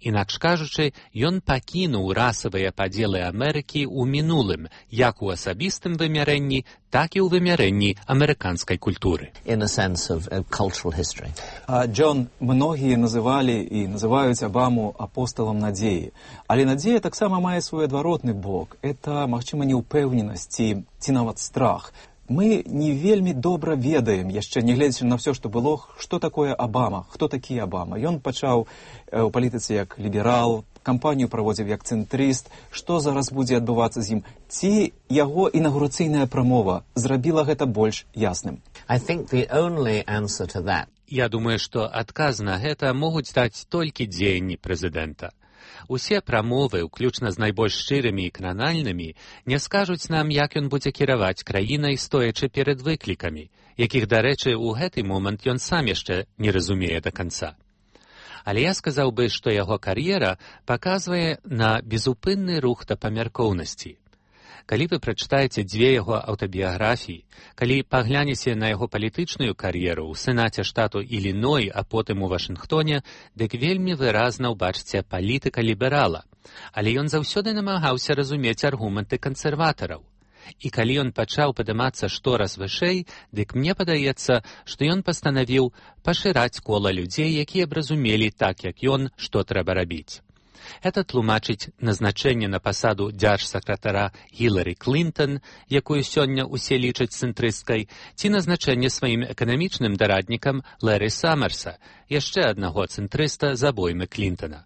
Інакш кажучы, ён пакінуў расавыя падзелы Амерыкі ў мінулым, як у асабістым вымярэнні, так і ў вымярэнні амерыканскай культуры. In a sense of cultural history. Джон, многія называлі і называюць Абаму апосталам надзеі. Але надзея таксама мае свой адваротны бок. Это, магчыма, неўпэўненасць ці нават страх. Мы не вельмі добра ведаем, яшчэ не гледзячы на ўсё, што было, што такое Абама, хто такі Абама. Ён пачаў у палітыцы як ліберал, кампанію праводзіў як цэнтрыст. Што зараз будзе адбывацца з ім? Ці яго інаўгурацыйная прамова зрабіла гэта больш ясным? I think the only answer to that. Я думаю, што адказ на гэта могуць даць толькі дзеянні прэзідэнта. Усе прамовы, уключна з найбольш шчырымі і кранальнымі, не скажуць нам, як ён будзе кіраваць краінай, стоячы перад выклікамі, якіх, дарэчы, у гэты момант ён сам яшчэ не разумее да канца. Але я сказаў бы, што яго кар'ера паказвае на безупынны рух да памяркоўнасці. Калі вы прачытаеце дзве яго аўтабіяграфіі, калі паглянеце на яго палітычную кар'еру ў Сенаце штату Іліной, а потым у Вашынгтоне, дык вельмі выразна ўбачыце палітыка ліберала. Але ён заўсёды намагаўся разумець аргументы кансерватараў. І калі ён пачаў падымацца штораз вышэй, дык мне падаецца, што ён пастанавіў пашыраць кола людзей, якія б разумелі так, як ён, што трэба рабіць. Это тлумачыць назначэнне на пасаду дзяржсакратара Гілары Клінтон, якую сёння ўсе лічаць цэнтрысткай, ці назначэнне сваім эканамічным дараднікам Лэры Саммерса, яшчэ аднаго цэнтрыста з абоймы Клінтона.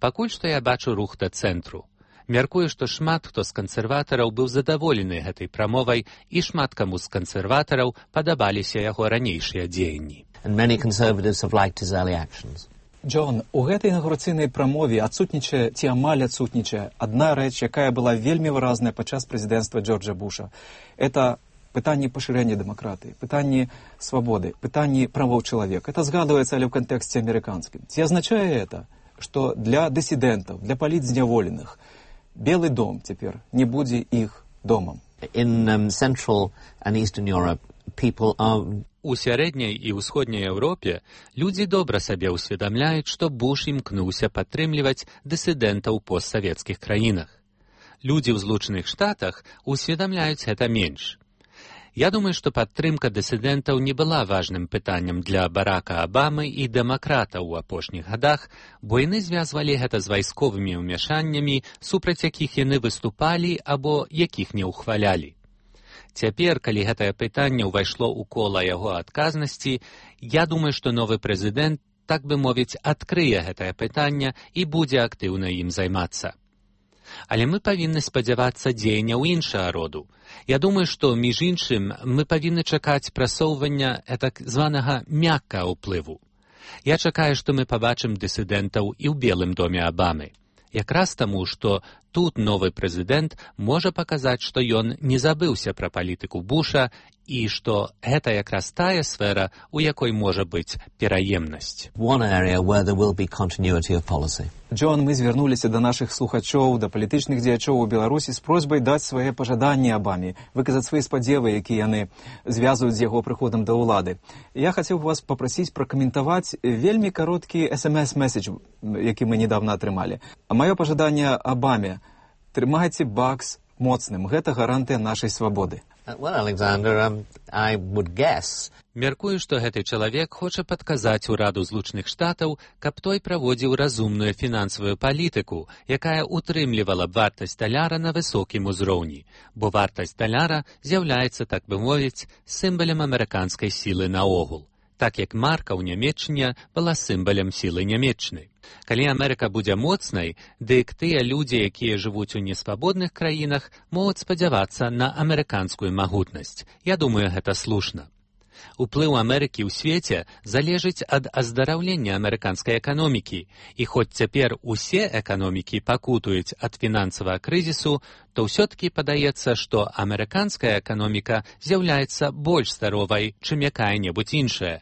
Пакуль што я бачу рух да цэнтру. Мяркую, што шмат хто з кансерватараў быў задаволены гэтай прамовай, і шмат каму з кансерватараў падабаліся яго ранейшыя дзеянні. And many conservatives have liked his early actions. Джон, у гэтай інаўгурацыйнай прамове адсутнічае ці амаль адсутнічае адна рэч, якая была вельмі выразная падчас прэзідэнцтва Джорджа Буша. Это пытанне пашырэння дэмакратыі, пытанне свабоды, пытанне правоў чалавека. Это згадваецца, але ў кантэксце амерыканскім. Ці азначае это, што для дысідэнтаў, для палітзняволеных Белы дом цяпер не будзе іх домам? In Central and Eastern Europe, people are... У сярэдняй і ўсходняй Еўропе людзі добра сабе ўсведамляюць, што Буш імкнуўся падтрымліваць дысідэнтаў у постсавецкіх краінах. Людзі ў Злучаных Штатах усведамляюць гэта менш. Я думаю, што падтрымка дысідэнтаў не была важным пытаннем для Барака Абамы і дэмакратаў у апошніх гадах, бо яны звязвалі гэта з вайсковымі ўмяшаннямі, супраць якіх яны выступалі або якіх не ўхвалялі. Цяпер, калі гэтае пытанне ўвайшло ў кола яго адказнасці, я думаю, што новы прэзідэнт, так бы мовіць, адкрые гэтае пытанне і будзе актыўна ім займацца. Але мы павінны спадзявацца дзеянняў іншага роду. Я думаю, што, між іншым, мы павінны чакаць прасоўвання так званага мяккага ўплыву. Я чакаю, што мы пабачым дысідэнтаў і ў Белым доме Абамы. Якраз таму, што тут новы прэзідэнт можа паказаць, што ён не забыўся пра палітыку Буша і што гэта якраз тая сфера, у якой можа быць пераемнасць. Джон, мы звярнуліся да нашых слухачоў, да палітычных дзеячоў у Беларусі з просьбай даць свае пажаданні Абаме, выказаць свае спадзевы, якія яны звязваюць з яго прыходам да ўлады. Я хацеў вас папрасіць пракаментаваць вельмі кароткі SMS-месседж, які мы недавно атрымалі. Маё пажаданне Абаме: трымайце бакс моцным, гэта гарантыя нашай свабоды. Well, Alexander, I would guess. Мяркую, што гэты чалавек хоча падказаць ураду Злучаных Штатаў, каб той праводзіў разумную фінансавую палітыку, якая утрымлівала б вартасць даляра на высокім узроўні, бо вартасць даляра з'яўляецца, так бы мовіць, сімвалем амерыканскай сілы наогул, так як марка ў Нямецчыне была сімвалем сілы Нямецчыны. Калі Амерыка будзе моцнай, дык тыя людзі, якія жывуць у несвабодных краінах, могуць спадзявацца на амерыканскую магутнасць. Я думаю, гэта слушна. Уплыў Амерыкі ў свеце залежыць ад аздараўлення амерыканскай эканомікі, і хоць цяпер усе эканомікі пакутуюць ад фінансавага крызісу, то ўсё-такі падаецца, што амерыканская эканоміка з'яўляецца больш здаровай, чым якая-небудзь іншая.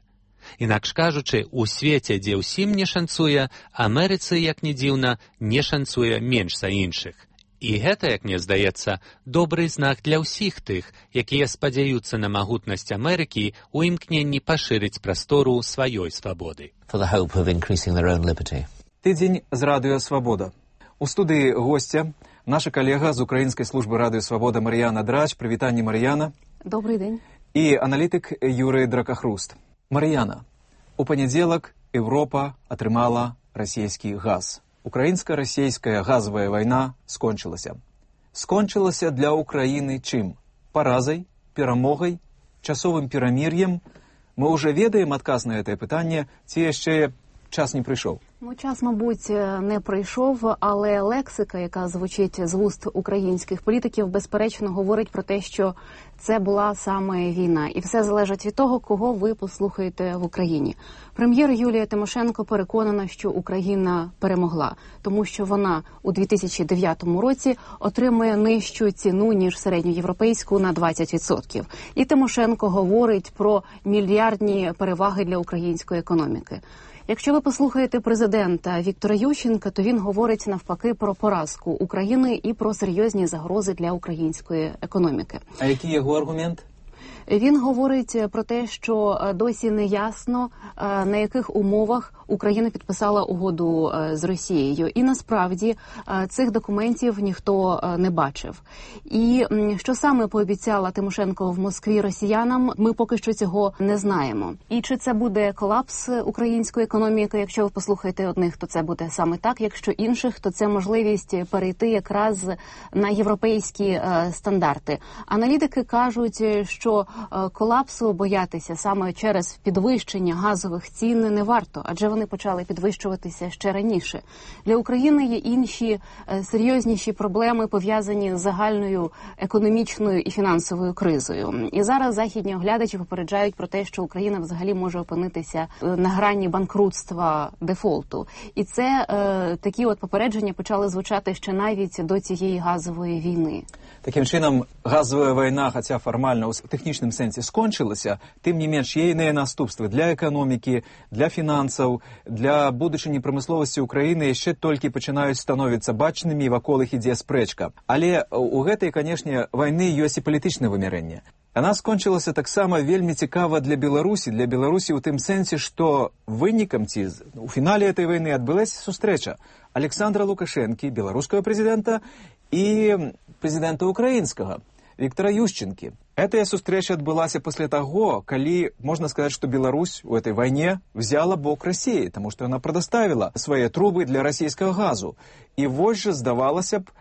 Інакш кажучы, у свеце, дзе ўсім не шанцуе, Амерыцы, як ні дзіўна, не шанцуе менш за іншых. І гэта, як мне здаецца, добры знак для ўсіх тых, якія спадзяюцца на магутнасць Амерыкі ў імкненні пашырыць прастору сваёй свабоды. Тыдзень з радыё «Свабода». У студыі госця наша калега з украінскай службы радыё «Свабода» Мар'яна Драч. Прывітанне, Мар'яна. Добрый дзень. І аналітык Юрый Дракахруст. Мар'яна, у панядзелак Еўропа атрымала расійскі газ. Украінска-расійская газавая вайна скончылася. Скончылася для Украіны чым? Паразай, перамогай, часовым перамір'ем? Мы ўжо ведаем адказ на гэтае пытанне, ці яшчэ час не прыйшоў? Ну, час, мабуть, не прийшов, але лексика, яка звучить з вуст українських політиків, безперечно говорить про те, що це була саме війна. І все залежить від того, кого ви послухаєте в Україні. Прем'єр Юлія Тимошенко переконана, що Україна перемогла, тому що вона у 2009 році отримує нижчу ціну, ніж середньоєвропейську на 20%. І Тимошенко говорить про мільярдні переваги для української економіки. Якщо ви послухаєте президента Віктора Ющенка, то він говорить навпаки про поразку України і про серйозні загрози для української економіки. А який його аргумент? Він говорить про те, що досі не ясно, на яких умовах Україна підписала угоду з Росією. І насправді цих документів ніхто не бачив. І що саме пообіцяла Тимошенко в Москві росіянам, ми поки що цього не знаємо. І чи це буде колапс української економіки? Якщо ви послухаєте одних, то це буде саме так. Якщо інших, то це можливість перейти якраз на європейські стандарти. Аналітики кажуть, що колапсу боятися саме через підвищення газових цін не варто, адже вони почали підвищуватися ще раніше. Для України є інші серйозніші проблеми, пов'язані з загальною економічною і фінансовою кризою. І зараз західні оглядачі попереджають про те, що Україна взагалі може опинитися на грані банкрутства, дефолту. І це такі от попередження почали звучати ще навіть до цієї газової війни. Таким чином, газова війна, хоча формально у технічному сенсі скончилася, тим не менш є іні наступствы для економіки, для фінансів, для будучыні прамысловасці Украіны яшчэ толькі пачынаюць становіцца бачнымі, і вакол іх ідзе спрэчка. Але у гэтай, канешне, вайны ёсць і палітычнае вымярэнне. Яна скончылася таксама вельмі цікава для Беларусі ў тым сэнсе, што вынікам ці у фінале этой вайны адбылася сустрэча Александра Лукашэнкі, беларускага прэзідэнта, і прэзідэнта украінскага Віктора Ющенкі. Эта сустрэча адбылася пасля таго, калі можна сказаць, што Беларусь у этой вайне взяла бок России, таму што яна прадаставіла свае трубы для расійскага газу. І вось жа, здавалася б,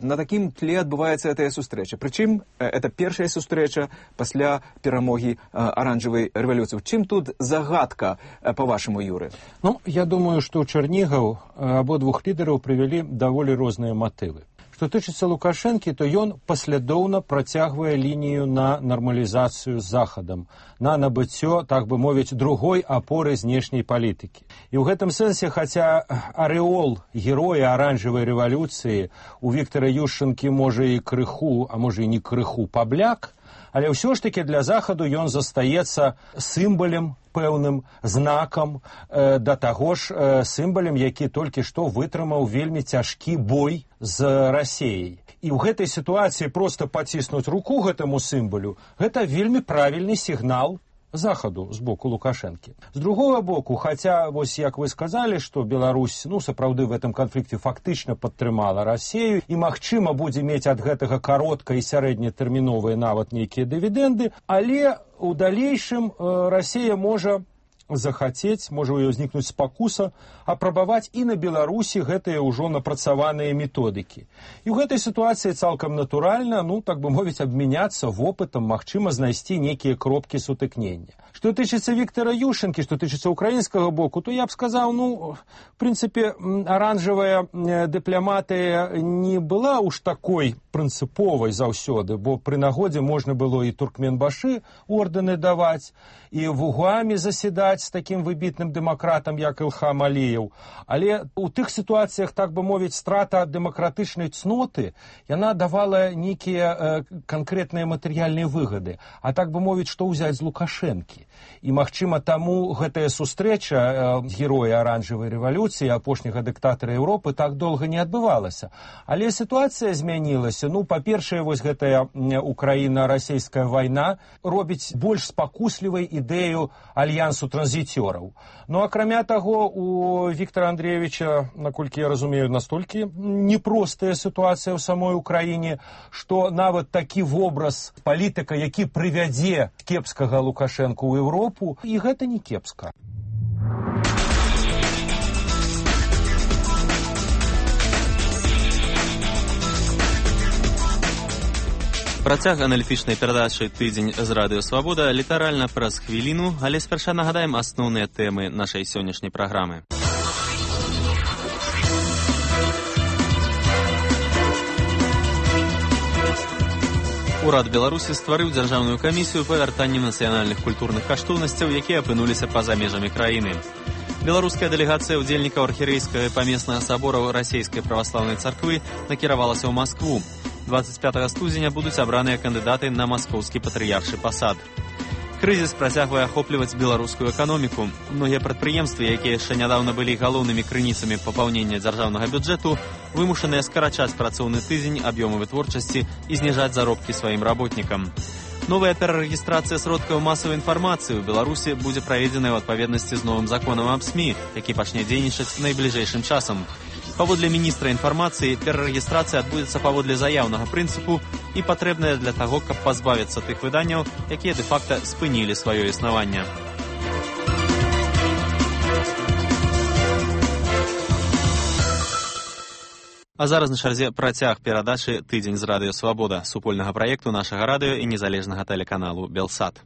на такім тле адбываецца эта сустрэча. Прычым, это першая сустрэча пасля перамогі аранжавай рэвалюцыі. Чым тут загадка, па-вашаму, Юры? Ну, я думаю, што ў Чарнігаў абодвух лідараў прывялі даволі розныя матывы. Што тычыцца Лукашэнкі, то ён паслядоўна працягвае лінію на нармалізацыю з Захадам, на набыццё, так бы мовіць, другой апоры знешняй палітыкі. І ў гэтым сэнсе, хаця арэол героя аранжавай рэвалюцыі у Віктара Ющэнкі можа і крыху, а можа і не крыху пабляк, але ўсё ж такі для Захаду ён застаецца сімвалем, пэўным знакам, да таго ж сімвалем, які толькі што вытрымаў вельмі цяжкі бой з Расіяй. І ў гэтай сітуацыі проста паціснуць руку гэтаму сімвалю, гэта вельмі правільны сігнал Захаду з боку Лукашэнкі. З другого боку, хаця, вось як вы сказалі, што Беларусь, сапраўды в гэтым канфлікце фактычна падтрымала Расію і, магчыма, будзе мець ад гэтага каротка і сярэднетэрміновыя нават нейкія дывідэнды, але у далейшым Расія можа захацець, можа ў ёй узнікнуць спакуса, апрабаваць і на Беларусі гэтыя ўжо напрацаваныя методыкі. І ў гэтай сітуацыі цалкам натуральна, так бы мовіць, абмяняцца вопытам, магчыма, знайсці нейкія кропкі сутыкнення. Што тычыцца Віктара Ющэнкі, што тычыцца украінскага боку, то я б сказаў, в прынцыпе, аранжавая дыпламатыя не была уж такой прынцыповай заўсёды, бо пры нагодзе можна было і Туркменбашы ордэны даваць, і в Угуаме заседаць з такім выбітным дэмакратам, як Ілхам Аліеў. Але у тых сітуацыях, так бы мовіць, страта дэмакратычнай цноты, яна давала нейкія канкрэтныя матэрыяльныя выгады. А так бы мовіць, што ўзяць з Лукашэнкі. І, магчыма, таму гэтая сустрэча героя аранжавай рэвалюцыі, апошняга дыктатара Еўропы, так доўга не адбывалася. Але сітуацыя змянілася. Па-першае, вось гэтая Украіна-расійская вайна робіць больш спакуслівай ідэю альянсу транзіцёраў. Акрамя таго, у Віктара Андрейевича, наколькі я разумею, настолькі непростая сітуацыя ў самой Украіне, што нават такі вобраз палітыка, які прывядзе кепскага Лукашэнку ў Еўропу, і гэта не кепска. Працяг аналітычнай перадачы «Тыдзень з Радыё Свабода» літаральна праз хвіліну, але спярша нагадаем асноўныя тэмы нашай сённяшняй праграмы. Урад Беларусі стварыў дзяржаўную камісію па вяртанні нацыянальных культурных каштоўнасцяў, якія апынуліся па-за межамі краіны. Беларуская дэлегацыя ўдзельнікаў архірэйскага памеснага сабора расійскай праваслаўнай царквы накіравалася ў Маскву. 25 студзеня будуць абраныя кандыдаты на маскоўскі патрыяршы пасад. Крызіс працягвае ахопліваць беларускую эканоміку. Многія прадпрыемствы, якія яшчэ нядаўна былі галоўнымі крыніцамі папаўнення дзяржаўнага бюджэту, вымушаныя скарачаць працоўны тыдзень, аб'ёмы вытворчасці і зніжаць заробкі сваім работнікам. Новая перарэгістрацыя сродкаў масавай інфармацыі ў Беларусі будзе праведзеная ў адпаведнасці з новым законам аб СМІ, які пачне дзейнічаць найбліжэйшым часам. Паводле міністра інфармацыі, перарэгістрацыя адбудзецца паводле заяўнага прынцыпу і патрэбная для таго, каб пазбавіцца тых выданняў, якія дэ-факта спынілі сваё існаванне. А зараз на чарзе працяг перадачы «Тыдзень з Радыё Свабода» супольнага праекту нашага радыё і незалежнага тэлеканалу «Белсат».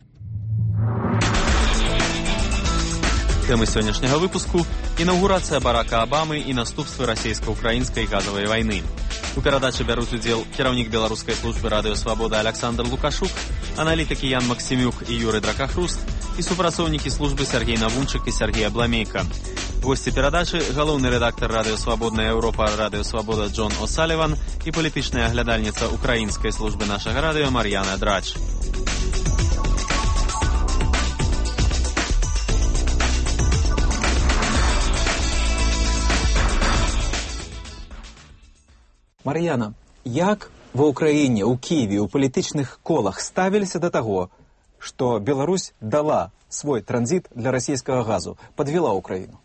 Тэмы сённяшняга выпуску – інаўгурацыя Барака Абамы і наступствы расійска-украінскай газавай вайны. У перадачы бяруць удзел кіраўнік беларускай службы Радыё Свабода Александр Лукашук, аналітыкі Ян Максімюк і Юрый Дракахруст і супрацоўнікі службы Сергей Навунчык і Сергей Абламейка. Госці перадачы – галоўны рэдактар Радыё Свабодная Еўропа Радыё Свабода Джон О'Саліван і палітычная аглядальніца украінскай службы нашага радыё Мар'яна Драч. Мар'яна, як ва ўкраіне, у Кіеве, у палітычных колах ставіліся да таго, што Беларусь дала свой транзит для расійскага газу, падвела Україну?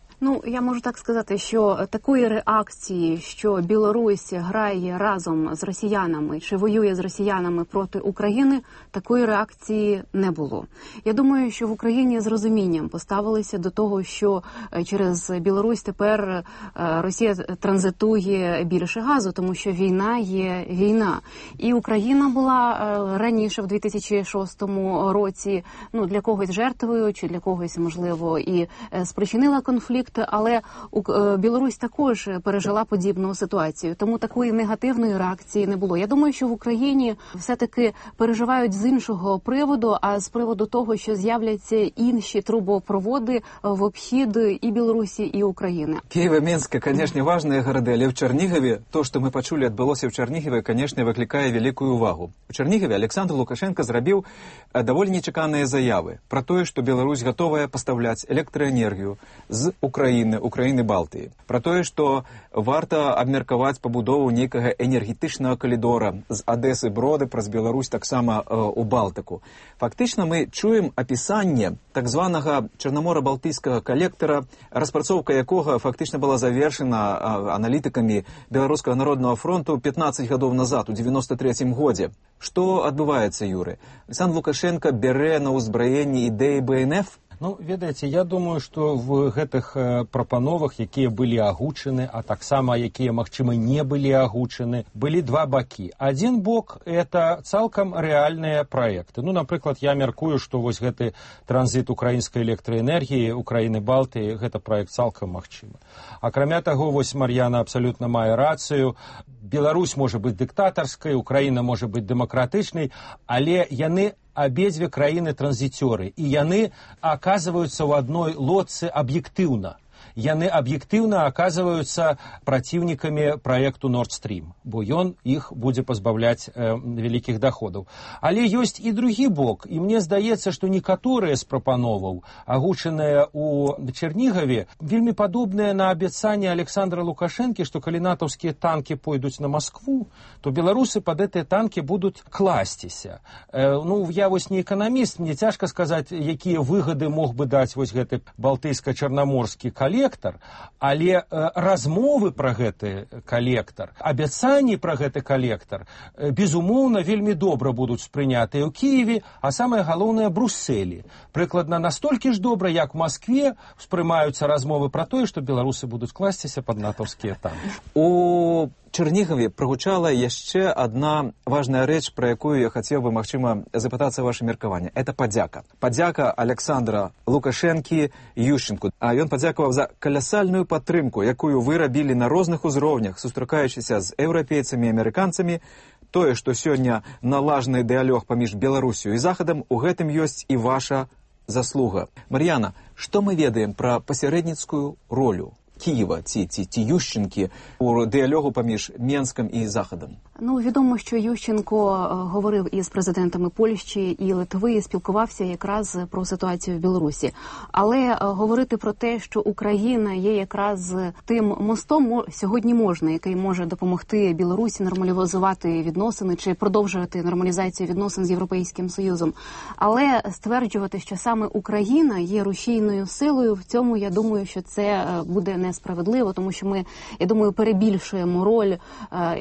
Я можу так сказати, що такої реакції, що Білорусь грає разом з росіянами чи воює з росіянами проти України, такої реакції не було. Я думаю, що в Україні з розумінням поставилися до того, що через Білорусь тепер Росія транзитує більше газу, тому що війна є війна. І Україна була раніше, в 2006 році, для когось жертвою, чи для когось, можливо, і спричинила конфлікт. конфлікт, але Білорусь також пережила подібну ситуацію, тому такої негативної реакції не було. Я думаю, що в Україні все-таки переживають з іншого приводу, а з приводу того, що з'являться інші трубопроводи в обхід і Білорусі, і України. Киев и Минск, конечно, важные города, але в Чернигове, то, что мы почули, отбылося в Чернигове, конечно, выкликае великую увагу. В Чернигове Александр Лукашенко зрабіў даволі нечаканыя заявы про тое, што Беларусь готовая пастаўляць электраэнергію з Украіны Балтыі. Про тое, што варта абмеркаваць пабудову нейкага энергетычнага калідора з Адэсы Броды праз Беларусь таксама у Балтыку. Фактычна мы чуем апісанне так званага Чарнамора-Балтыйскага калектара, распрацоўка якога фактычна была завершена аналітыкамі Беларускага народнага фронту 15 гадоў назад, у 93-м годзе. Што адбываецца, Юры? Александр Лукашенко бярэ на ўзбраенне ідэі БНФ? Ну, ведаеце, я думаю, што в гэтых прапановах, якія былі агучаны, а таксама якія, магчыма, не былі агучаны, былі два бакі. Адзін бок – это цалкам рэальныя праекты. Ну, напрыклад, я мяркую, што вось гэты транзіт украінскай электраэнергіі, Украіны-Балтыі, гэта праект цалкам магчымы. Акрамя таго, вось Мар'яна абсалютна мае рацыю. Беларусь можа быць дыктатарскай, Украіна можа быць дэмакратычнай, але яны абедзве краіны транзіцёры, і яны аказваюцца ў адной лодцы аб'ектыўна. Яны аб'ектыўна аказваюцца праціўнікамі праекту Nord Stream, бо ён іх будзе пазбаўляць вялікіх даходаў. Але ёсць і другі бок, і мне здаецца, што некаторыя з прапановаў, агучаныя ў Чернігаве, вельмі падобныя на абяцанне Александра Лукашэнкі, што калі натаўскія танкі пойдуць на Маскву, то беларусы пад гэтыя танкі будуць класціся. Ну, я вось не эканаміст, мне цяжка сказаць, якія выгады мог бы даць вось гэты балтыйска-чарнаморскі калектар, але размовы пра гэты калектар, абяцанні пра гэты калектар, безумоўна, вельмі добра будуць спрынятыя ў Кіеве, а самае галоўнае Брусселі. Прыкладна настолькі ж добра, як у Маскве спрымаюцца размовы пра тое, што беларусы будуць класціся пад натаўскія танкі. У Чернигове прогучала яшчэ одна важная рэч, про якую я хацеў бы, магчыма, запытацца ваше меркаванне. Это падзяка. Падзяка Александра Лукашэнкі Ющенку. А ён падзякаваў за калясальную падтрымку, якую вы рабілі на розных узроўнях, сустракаючыся з еўрапейцамі і амерыканцамі. Тое, што сёння налажаны дыялог паміж Беларусю і Захадам, у гэтым ёсць і ваша заслуга. Мар'яна, што мы ведаем пра пасярэдніцкую ролю Києва, ці Ющенки у діалогу поміж Мінськом і Заходом? Ну, відомо, що Ющенко говорив із президентами Польщі і Литви, і спілкувався якраз про ситуацію в Білорусі. Але говорити про те, що Україна є якраз тим мостом, сьогодні можна, який може допомогти Білорусі нормалізувати відносини чи продовжувати нормалізацію відносин з Європейським Союзом. Але стверджувати, що саме Україна є рушійною силою, в цьому, я думаю, що це буде несправедливо, тому що ми, я думаю, перебільшуємо роль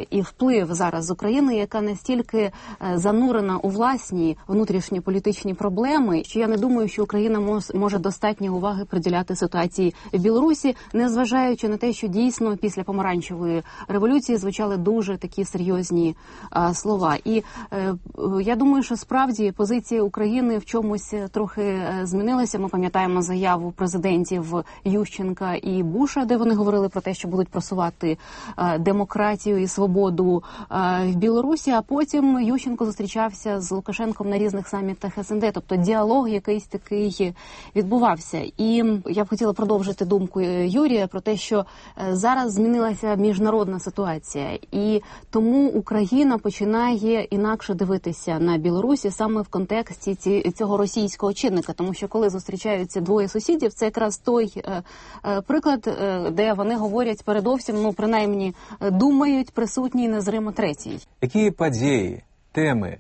і вплив зараз з України, яка настільки занурена у власні внутрішні політичні проблеми, що я не думаю, що Україна може достатньо уваги приділяти ситуації в Білорусі, незважаючи на те, що дійсно після помаранчевої революції звучали дуже такі серйозні слова. І я думаю, що справді позиція України в чомусь трохи змінилася. Ми пам'ятаємо заяву президентів Ющенка і Буша, де вони говорили про те, що будуть просувати демократію і свободу в Білорусі, а потім Ющенко зустрічався з Лукашенком на різних самітах СНД, тобто діалог якийсь такий відбувався. І я б хотіла продовжити думку Юрія про те, що зараз змінилася міжнародна ситуація, і тому Україна починає інакше дивитися на Білорусі саме в контексті цього російського чинника, тому що коли зустрічаються двоє сусідів, це якраз той приклад, де вони говорять передовсім, ну, принаймні, думають присутній незримо третій. Які події, теми,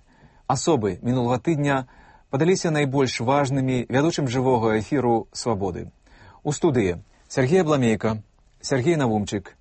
особи минулого тижня падаліся найбільш важними ведучим живого ефіру «Свободи»? У студії Сергій Абламейко, Сергій Навумчик.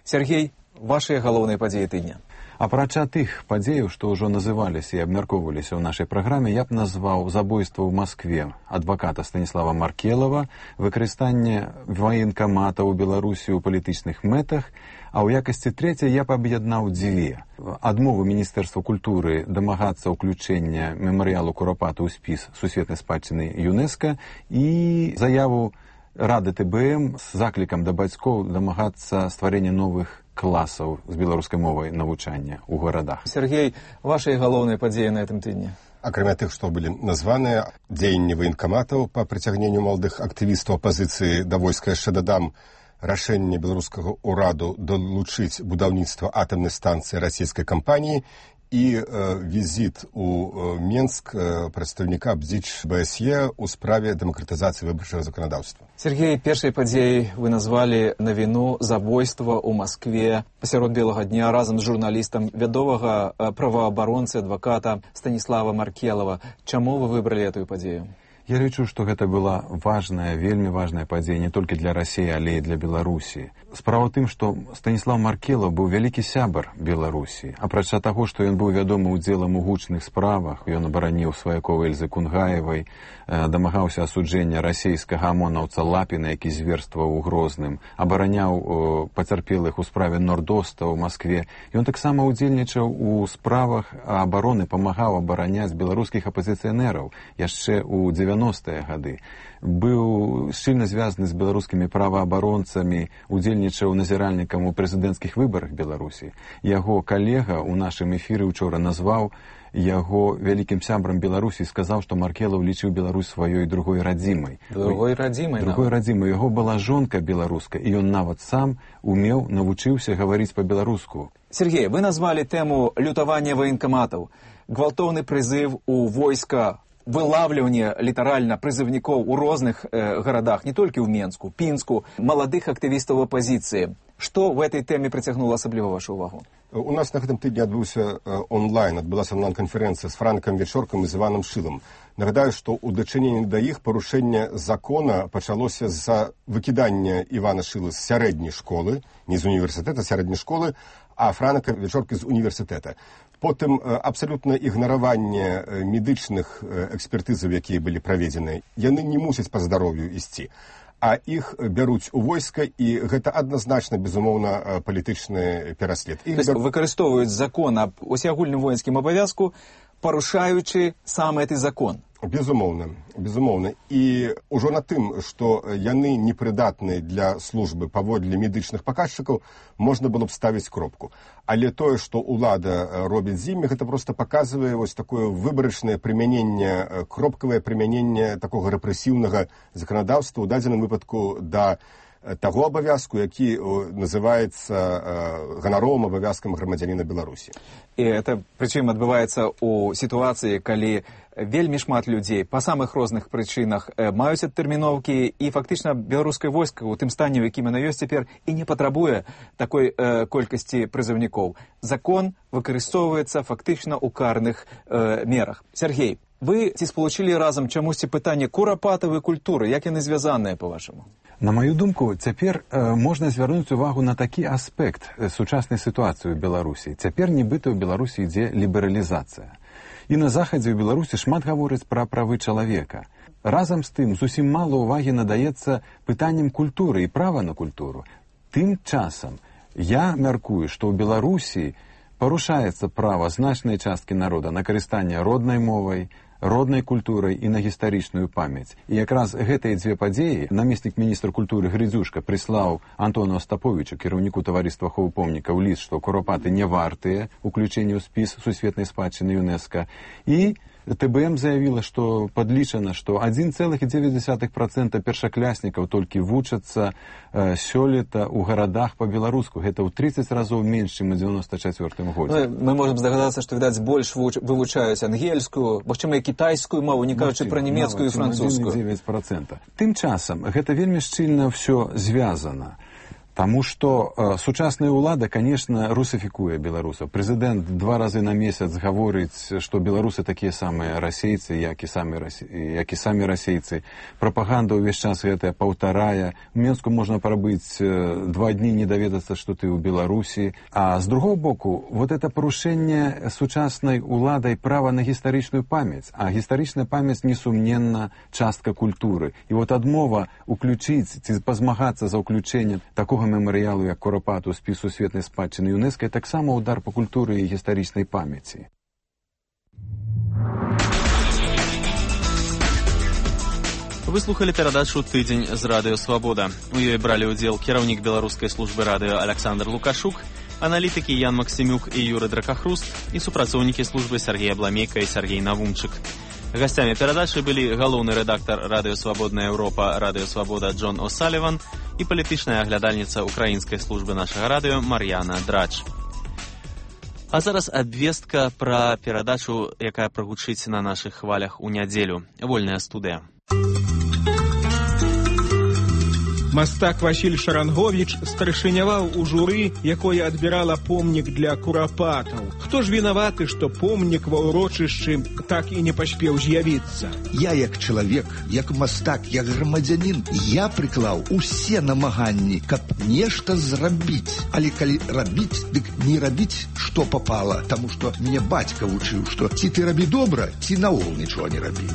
Сергій, ваші головні події тижня. Апрача тых падзеяў, што ўжо называліся і абмяркоўваліся ў нашай праграме, я б назваў забойства ў Маскве адваката Станіслава Маркелова, выкарыстанне ваенкамата ў Беларусі ў палітычных мэтах, а ў якасці трэцяй я б аб'яднаў дзве. Адмову Міністэрства культуры дамагацца ўключэння мемарыялу Курапата ў спіс сусветнай спадчыны ЮНЕСКО і заяву рады ТБМ з заклікам да бацькоў дамагацца стварэння новых класаў з беларускай мовай навучання ў гарадах. Сергей, ваши галоўныя падзеі на гэтым тыдні? Акрамя тых, што былі названыя, дзеянні ваенкаматаў па прыцягненню маладых актывістаў апазіцыі да войска, яшчэ дадам рашэнне беларускага ўраду далучыць будаўніцтва атамнай станцыі расійскай кампаніі і візіт у Менск прадстаўніка БДЗ БСЕ ў справе дэмакратызацыі выбарчага заканадаўства. Сергей, першай падзеяй вы назвалі навіну забойства ў Маскве пасярод белага дня разам з журналістам вядомага праваабаронцы адваката Станіслава Маркелава. Чаму вы выбралі эту падзею? Я лічу, што гэта была важная, вельмі важная падзея не толькі для Расіі, але і для Беларусі. Справа ў тым, што Станіслав Маркелаў быў вялікі сябар Беларусі. Апрача таго, што ён быў вядомы ўдзелам у гучных справах, ён абараніў сваякоў Эльзы Кунгаевай, дамагаўся асуджэння расійскага амонаўца Лапіна, які зверстваў у Грозным, абараняў пацярпелых у справе Нордоста ў Маскве. Ён таксама ўдзельнічаў у справах абароны, памагаў абараняць беларускіх апазіцыянераў яшчэ ў 90-е гады. Быў шчыльна звязаны з беларускімі праваабаронцамі, удзельнічаў назіральнікам у прэзідэнцкіх выбарах Беларусі. Яго калега ў нашым эфіры учора назваў яго вялікім сябрам Беларусі і сказаў, што Маркелаў лічыў Беларусь сваёй другой радзімай. Другой радзімай? Другой радзімай. Яго была жонка беларуска, і ён нават сам умеў, навучыўся гаварыць па-беларуску. Сергей, вы назвалі тэму лютавання ваенкаматаў, гвалтоўны прызыв у войска, вылавліванне літаральна прызыўнікоў у розных гарадах, не толькі ў Менску, Пінску, маладых актывістаў апазіцыі. Што в этой тэме прыцягнула асабліва вашу ўвагу? У нас на гэтым тыдні адбылася онлайн-канферэнцыя з Франкам Вечоркам і з Іванам Шылам. Нагадаю, што ў дачыненні да іх парушэнне закона пачалося з-за выкідання Івана Шылы з сярэдняй школы, не з універсітэта, сярэдняй школы, а Франка Вечоркі з універсітэта. Потым абсалютна ігнараванне медычных экспертызаў, якія былі праведзеныя. Яны не мусяць па здароўю ісці, а іх бяруць у войска, і гэта адназначна, безумоўна, палітычны пераслед. Выкарыстоўваюць закон аб усеагульным воінскім абавязку, парушаючы сам гэты закон. Безумоўна, безумоўна. І ўжо на тым, што яны непрыдатныя для службы паводле медычных паказчыкаў, можна было б ставіць кропку. Але тое, што ўлада робіць з імі, гэта проста паказвае вось такое выбарачнае прымяненне, кропкавае прымяненне такога рэпрэсіўнага заканадаўства, у дадзеным выпадку да таго абавязку, які называецца ганаровым абавязкам грамадзяніна Беларусі. І это, прычым, адбываецца ў сітуацыі, калі вельмі шмат людзей па самых розных прычынах маюць адтэрміноўкі, і фактычна беларускае войска ў тым стане, у якім яно ёсць цяпер, і не патрабуе такой колькасці прызыўнікоў. Закон выкарыстоўваецца фактычна ў карных мерах. Сергей, вы ці спалучылі разам чамусьці пытанне курапатавай культуры, як яны звязаныя, па-вашаму? На маю думку, цяпер можна звярнуць увагу на такі аспект сучаснай сітуацыі ў Беларусі. Цяпер нібыта ў Беларусі ідзе лібералізацыя. І на захадзе ў Беларусі шмат гавораць пра правы чалавека. Разам з тым, зусім мала ўвагі надаецца пытанням культуры і права на культуру. Тым часам я мяркую, што ў Беларусі парушаецца права значнай часткі народа на карыстанне роднай мовай, роднай культурай і на гістарычную памяць. І якраз гэтыя дзве падзеі намеснік міністра культуры Грыдзюшка прыслаў Антону Астаповічу, кіраўніку таварыства аховы помнікаў, ліст, што курапаты не вартыя уключэння ў спіс сусветнай спадчыны ЮНЕСКО. І ТБМ заявіла, што падлічана, што 1,9% першакляснікаў толькі вучацца сёлета ў гарадах па-беларуску. Гэта ў 30 разоў менш, чым у 94 годзе. Мы можам здагадацца, што, відаць, больш вывучаюць ангельскую, магчыма, і кітайскую мову, не кажучы пра нямецкую і французскую. 9%. Тым часам, гэта вельмі шчыльна ўсё звязана. Таму што сучасная ўлада, конечно, русафікуе беларусаў. Прэзідэнт 2 разы на месяц гаворыць, што беларусы такія самыя расейцы, як і самі расейцы. Прапаганда ўвесь час гэтая паўтарае. У Менску можна прабыць 2 дні, не даведацца, што ты ў Беларусі. А з другого боку, вот это парушэнне сучаснай уладай права на гістарычную памяць. А гістарычная памяць, несумненна, частка культуры. І вот адмова уключыць ці пазмагацца за ўключэнне такога мемарыялу, як курапату спіс сусветнай спадчыны ЮНЕСКО, таксама удар па культуры і гістарычнай памяці. Вы слухали перадачу «Тыдзень» з радыё «Свабода». У ёй бралі ўдзел кіраўнік беларускай службы радыё Александр Лукашук, аналітыкі Ян Максімюк і Юры Дракахруст і супрацоўнікі службы Сергей Абламейка і Сергей Навумчык. Гасцямі перадачы былі галоўны рэдактар радыё «Свабодная Еўропа» радыё «Свабода» Джон О'Саліван і палітычная аглядальніца украінскай службы нашага радыё Мар'яна Драч. А зараз абвестка пра перадачу, якая прагучыць на нашых хвалях у нядзелю. Вольная студыя. Мастак Васіль Шаранговіч старшыняваў у журы, якое адбірала помнік для курапатаў. Хто ж вінаваты, што помнік ва ўрочышчы так і не паспеў з'явіцца? Я як чалавек, як мастак, як грамадзянін, я прыклаў усе намаганні, каб нешта зрабіць. Але калі рабіць, дык не рабіць, што папала, таму што мне бацька вучыў, што ці ты рабі добра, ці наогул нічога не рабі.